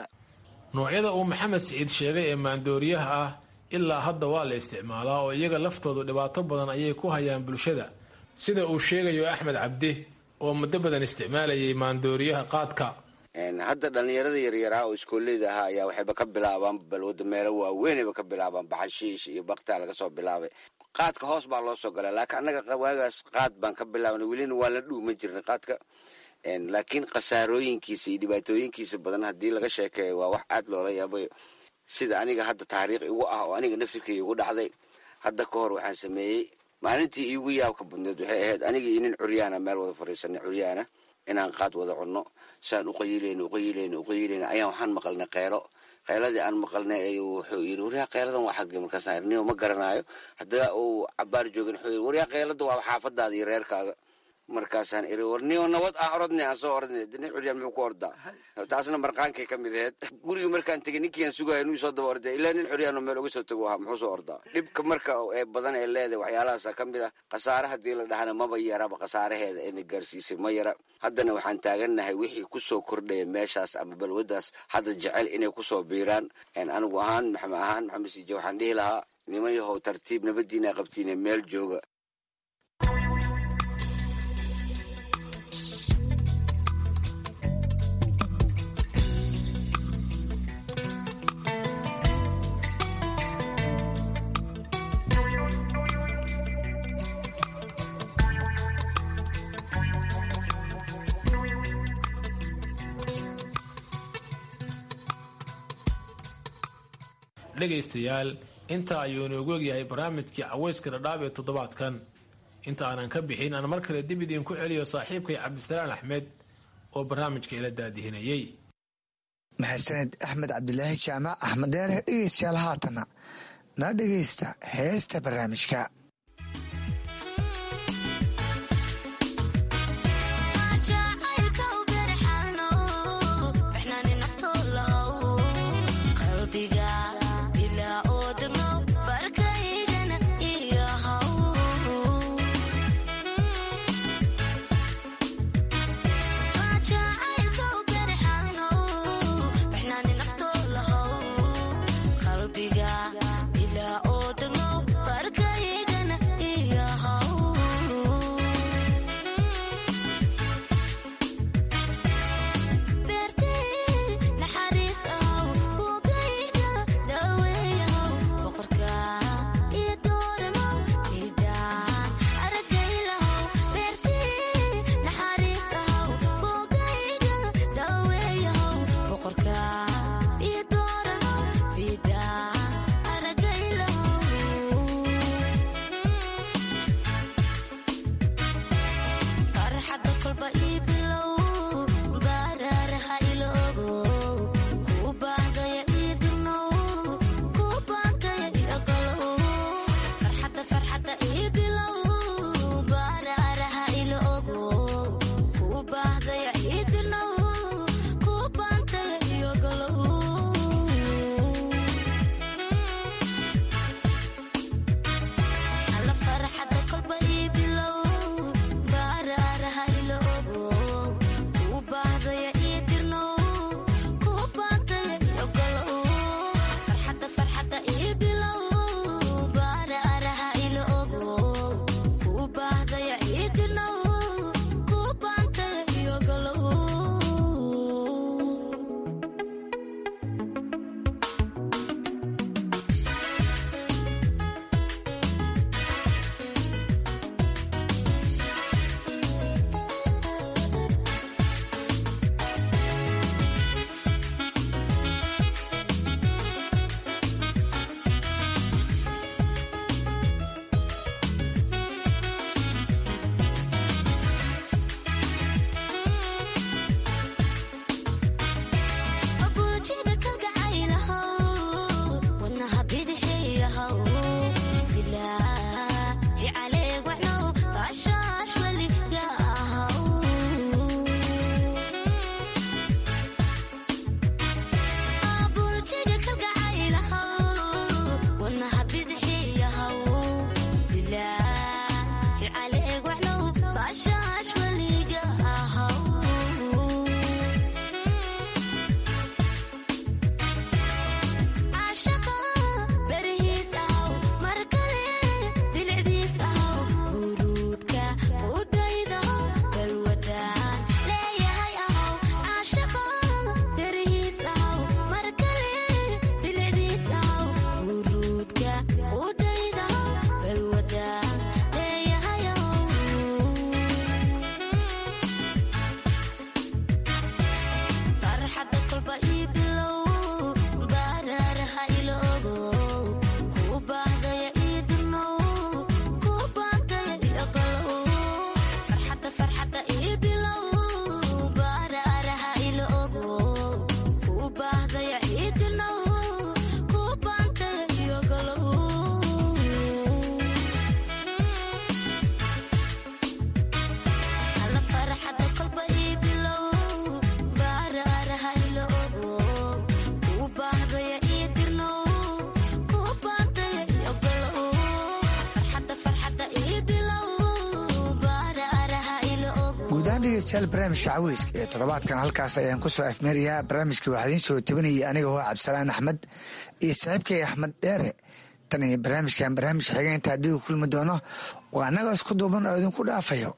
Noocyada uu Maxamed Siciid sheegay ee maandooriyaha ah ilaa hadda waa la isticmaalaa oo iyaga laftoodu dhibaato badan ayay ku hayaan bulshada, sida uu sheegayo Axmed Cabdi oo muddo badan isticmaalayay maandooriyaha qaadka. Hadda dhalinyarada yaryaraa oo iskooleyda ahaa ayaa waxayba ka bilaabaan balwada, meelo waaweynayba ka bilaabaan, baxashiish iyo baktaa laga soo bilaabay. Qaadka hoos baa loo soo galaa, laakiin annaga waagaas qaad baan ka bilaabnay, welina waan la dhuuman jirnay qaadka. Laakiin khasaarooyinkiisa iyo dhibaatooyinkiisa badan haddii laga sheekeeyo, waa wax aad loola yaabayo. Sida aniga hadda taariikh igu ah oo aniga naftirkay igu dhacday, hadda ka hor waxaan sameeyey, maalintii iigu yaabka badneed waxay ahayd aniga iyo nin curyaana meel wada fadhiisanay, curyaana, inaan qaad wada cunno. Saan uqayilayno, uqayilayno, uqayilayno ayaan waxaan maqalnay qeylo. Qeyladii aan maqalnay ayuu wuxuu yidhi, "Waryaa, qeyladan waa xaggee?" Markaasaan irniyo, "Ma garanaayo." Haddana uu cabaar joogin wuxuu yidhi, "Waryaa, qeylada waa xaafadaada iyo reerkaaga." Markaasaan iri, war niyo nabad aan orodnay, aan soo orodnay. Nin curyaan muxuu ku ordaa? Taasna marqaankay ka mid aheyd. Gurigii markaan tegey, ninkiiaan sugaya inuu soo daba orday, ilaa nin curyaanoo meel uga soo tago ahaa, muxuu soo ordaa? Dhibka marka ee badan ee leedahay waxyaalahaasa ka mid ah. Khasaare haddii la dhahana maba yaraba, khasaaraheeda ayna gaarsiisay ma yara. Haddana waxaan taagannahay wixii kusoo kordhaya meeshaas ama balwaddaas hadda jecel inay kusoo biiraan. Anigu ahaan maxamed ahaan Maxamed Siije, waxaan dhihi lahaa, niman yahow, tartiib nabadiina qabtiine, meel jooga. Dhegaystayaal, intaa ayuu inoogu egyahay barnaamijkii caweyska Dhadhaab ee toddobaadkan. Inta aanan ka bixin, aan mar kale dib idiinku celiyo saaxiibkay Cabdisalaan Axmed oo barnaamijka ila daadihinayey. Mahadsaned Axmed Cabdilaahi Jaamac Axmed Deere. Dhegeystayaal, haatana na dhegeysta heesta barnaamijka. Qalbiga ilaa oo dagno barkayga. Guud ahaan, dhegeystayaal, barnaamijka caweyska ee toddobaadkan halkaas ayaan ku soo afmeerayaa. Barnaamijka waxaa idiin soo tabinayay aniga hoo Cabdisalaan Axmed iyo saaxiibkay Axmed Dheere. Tan iyo barnaamijkan barnaamij xiga inta haddii u kulmi doono, waa annaga isku duuban oo idinku dhaafayo.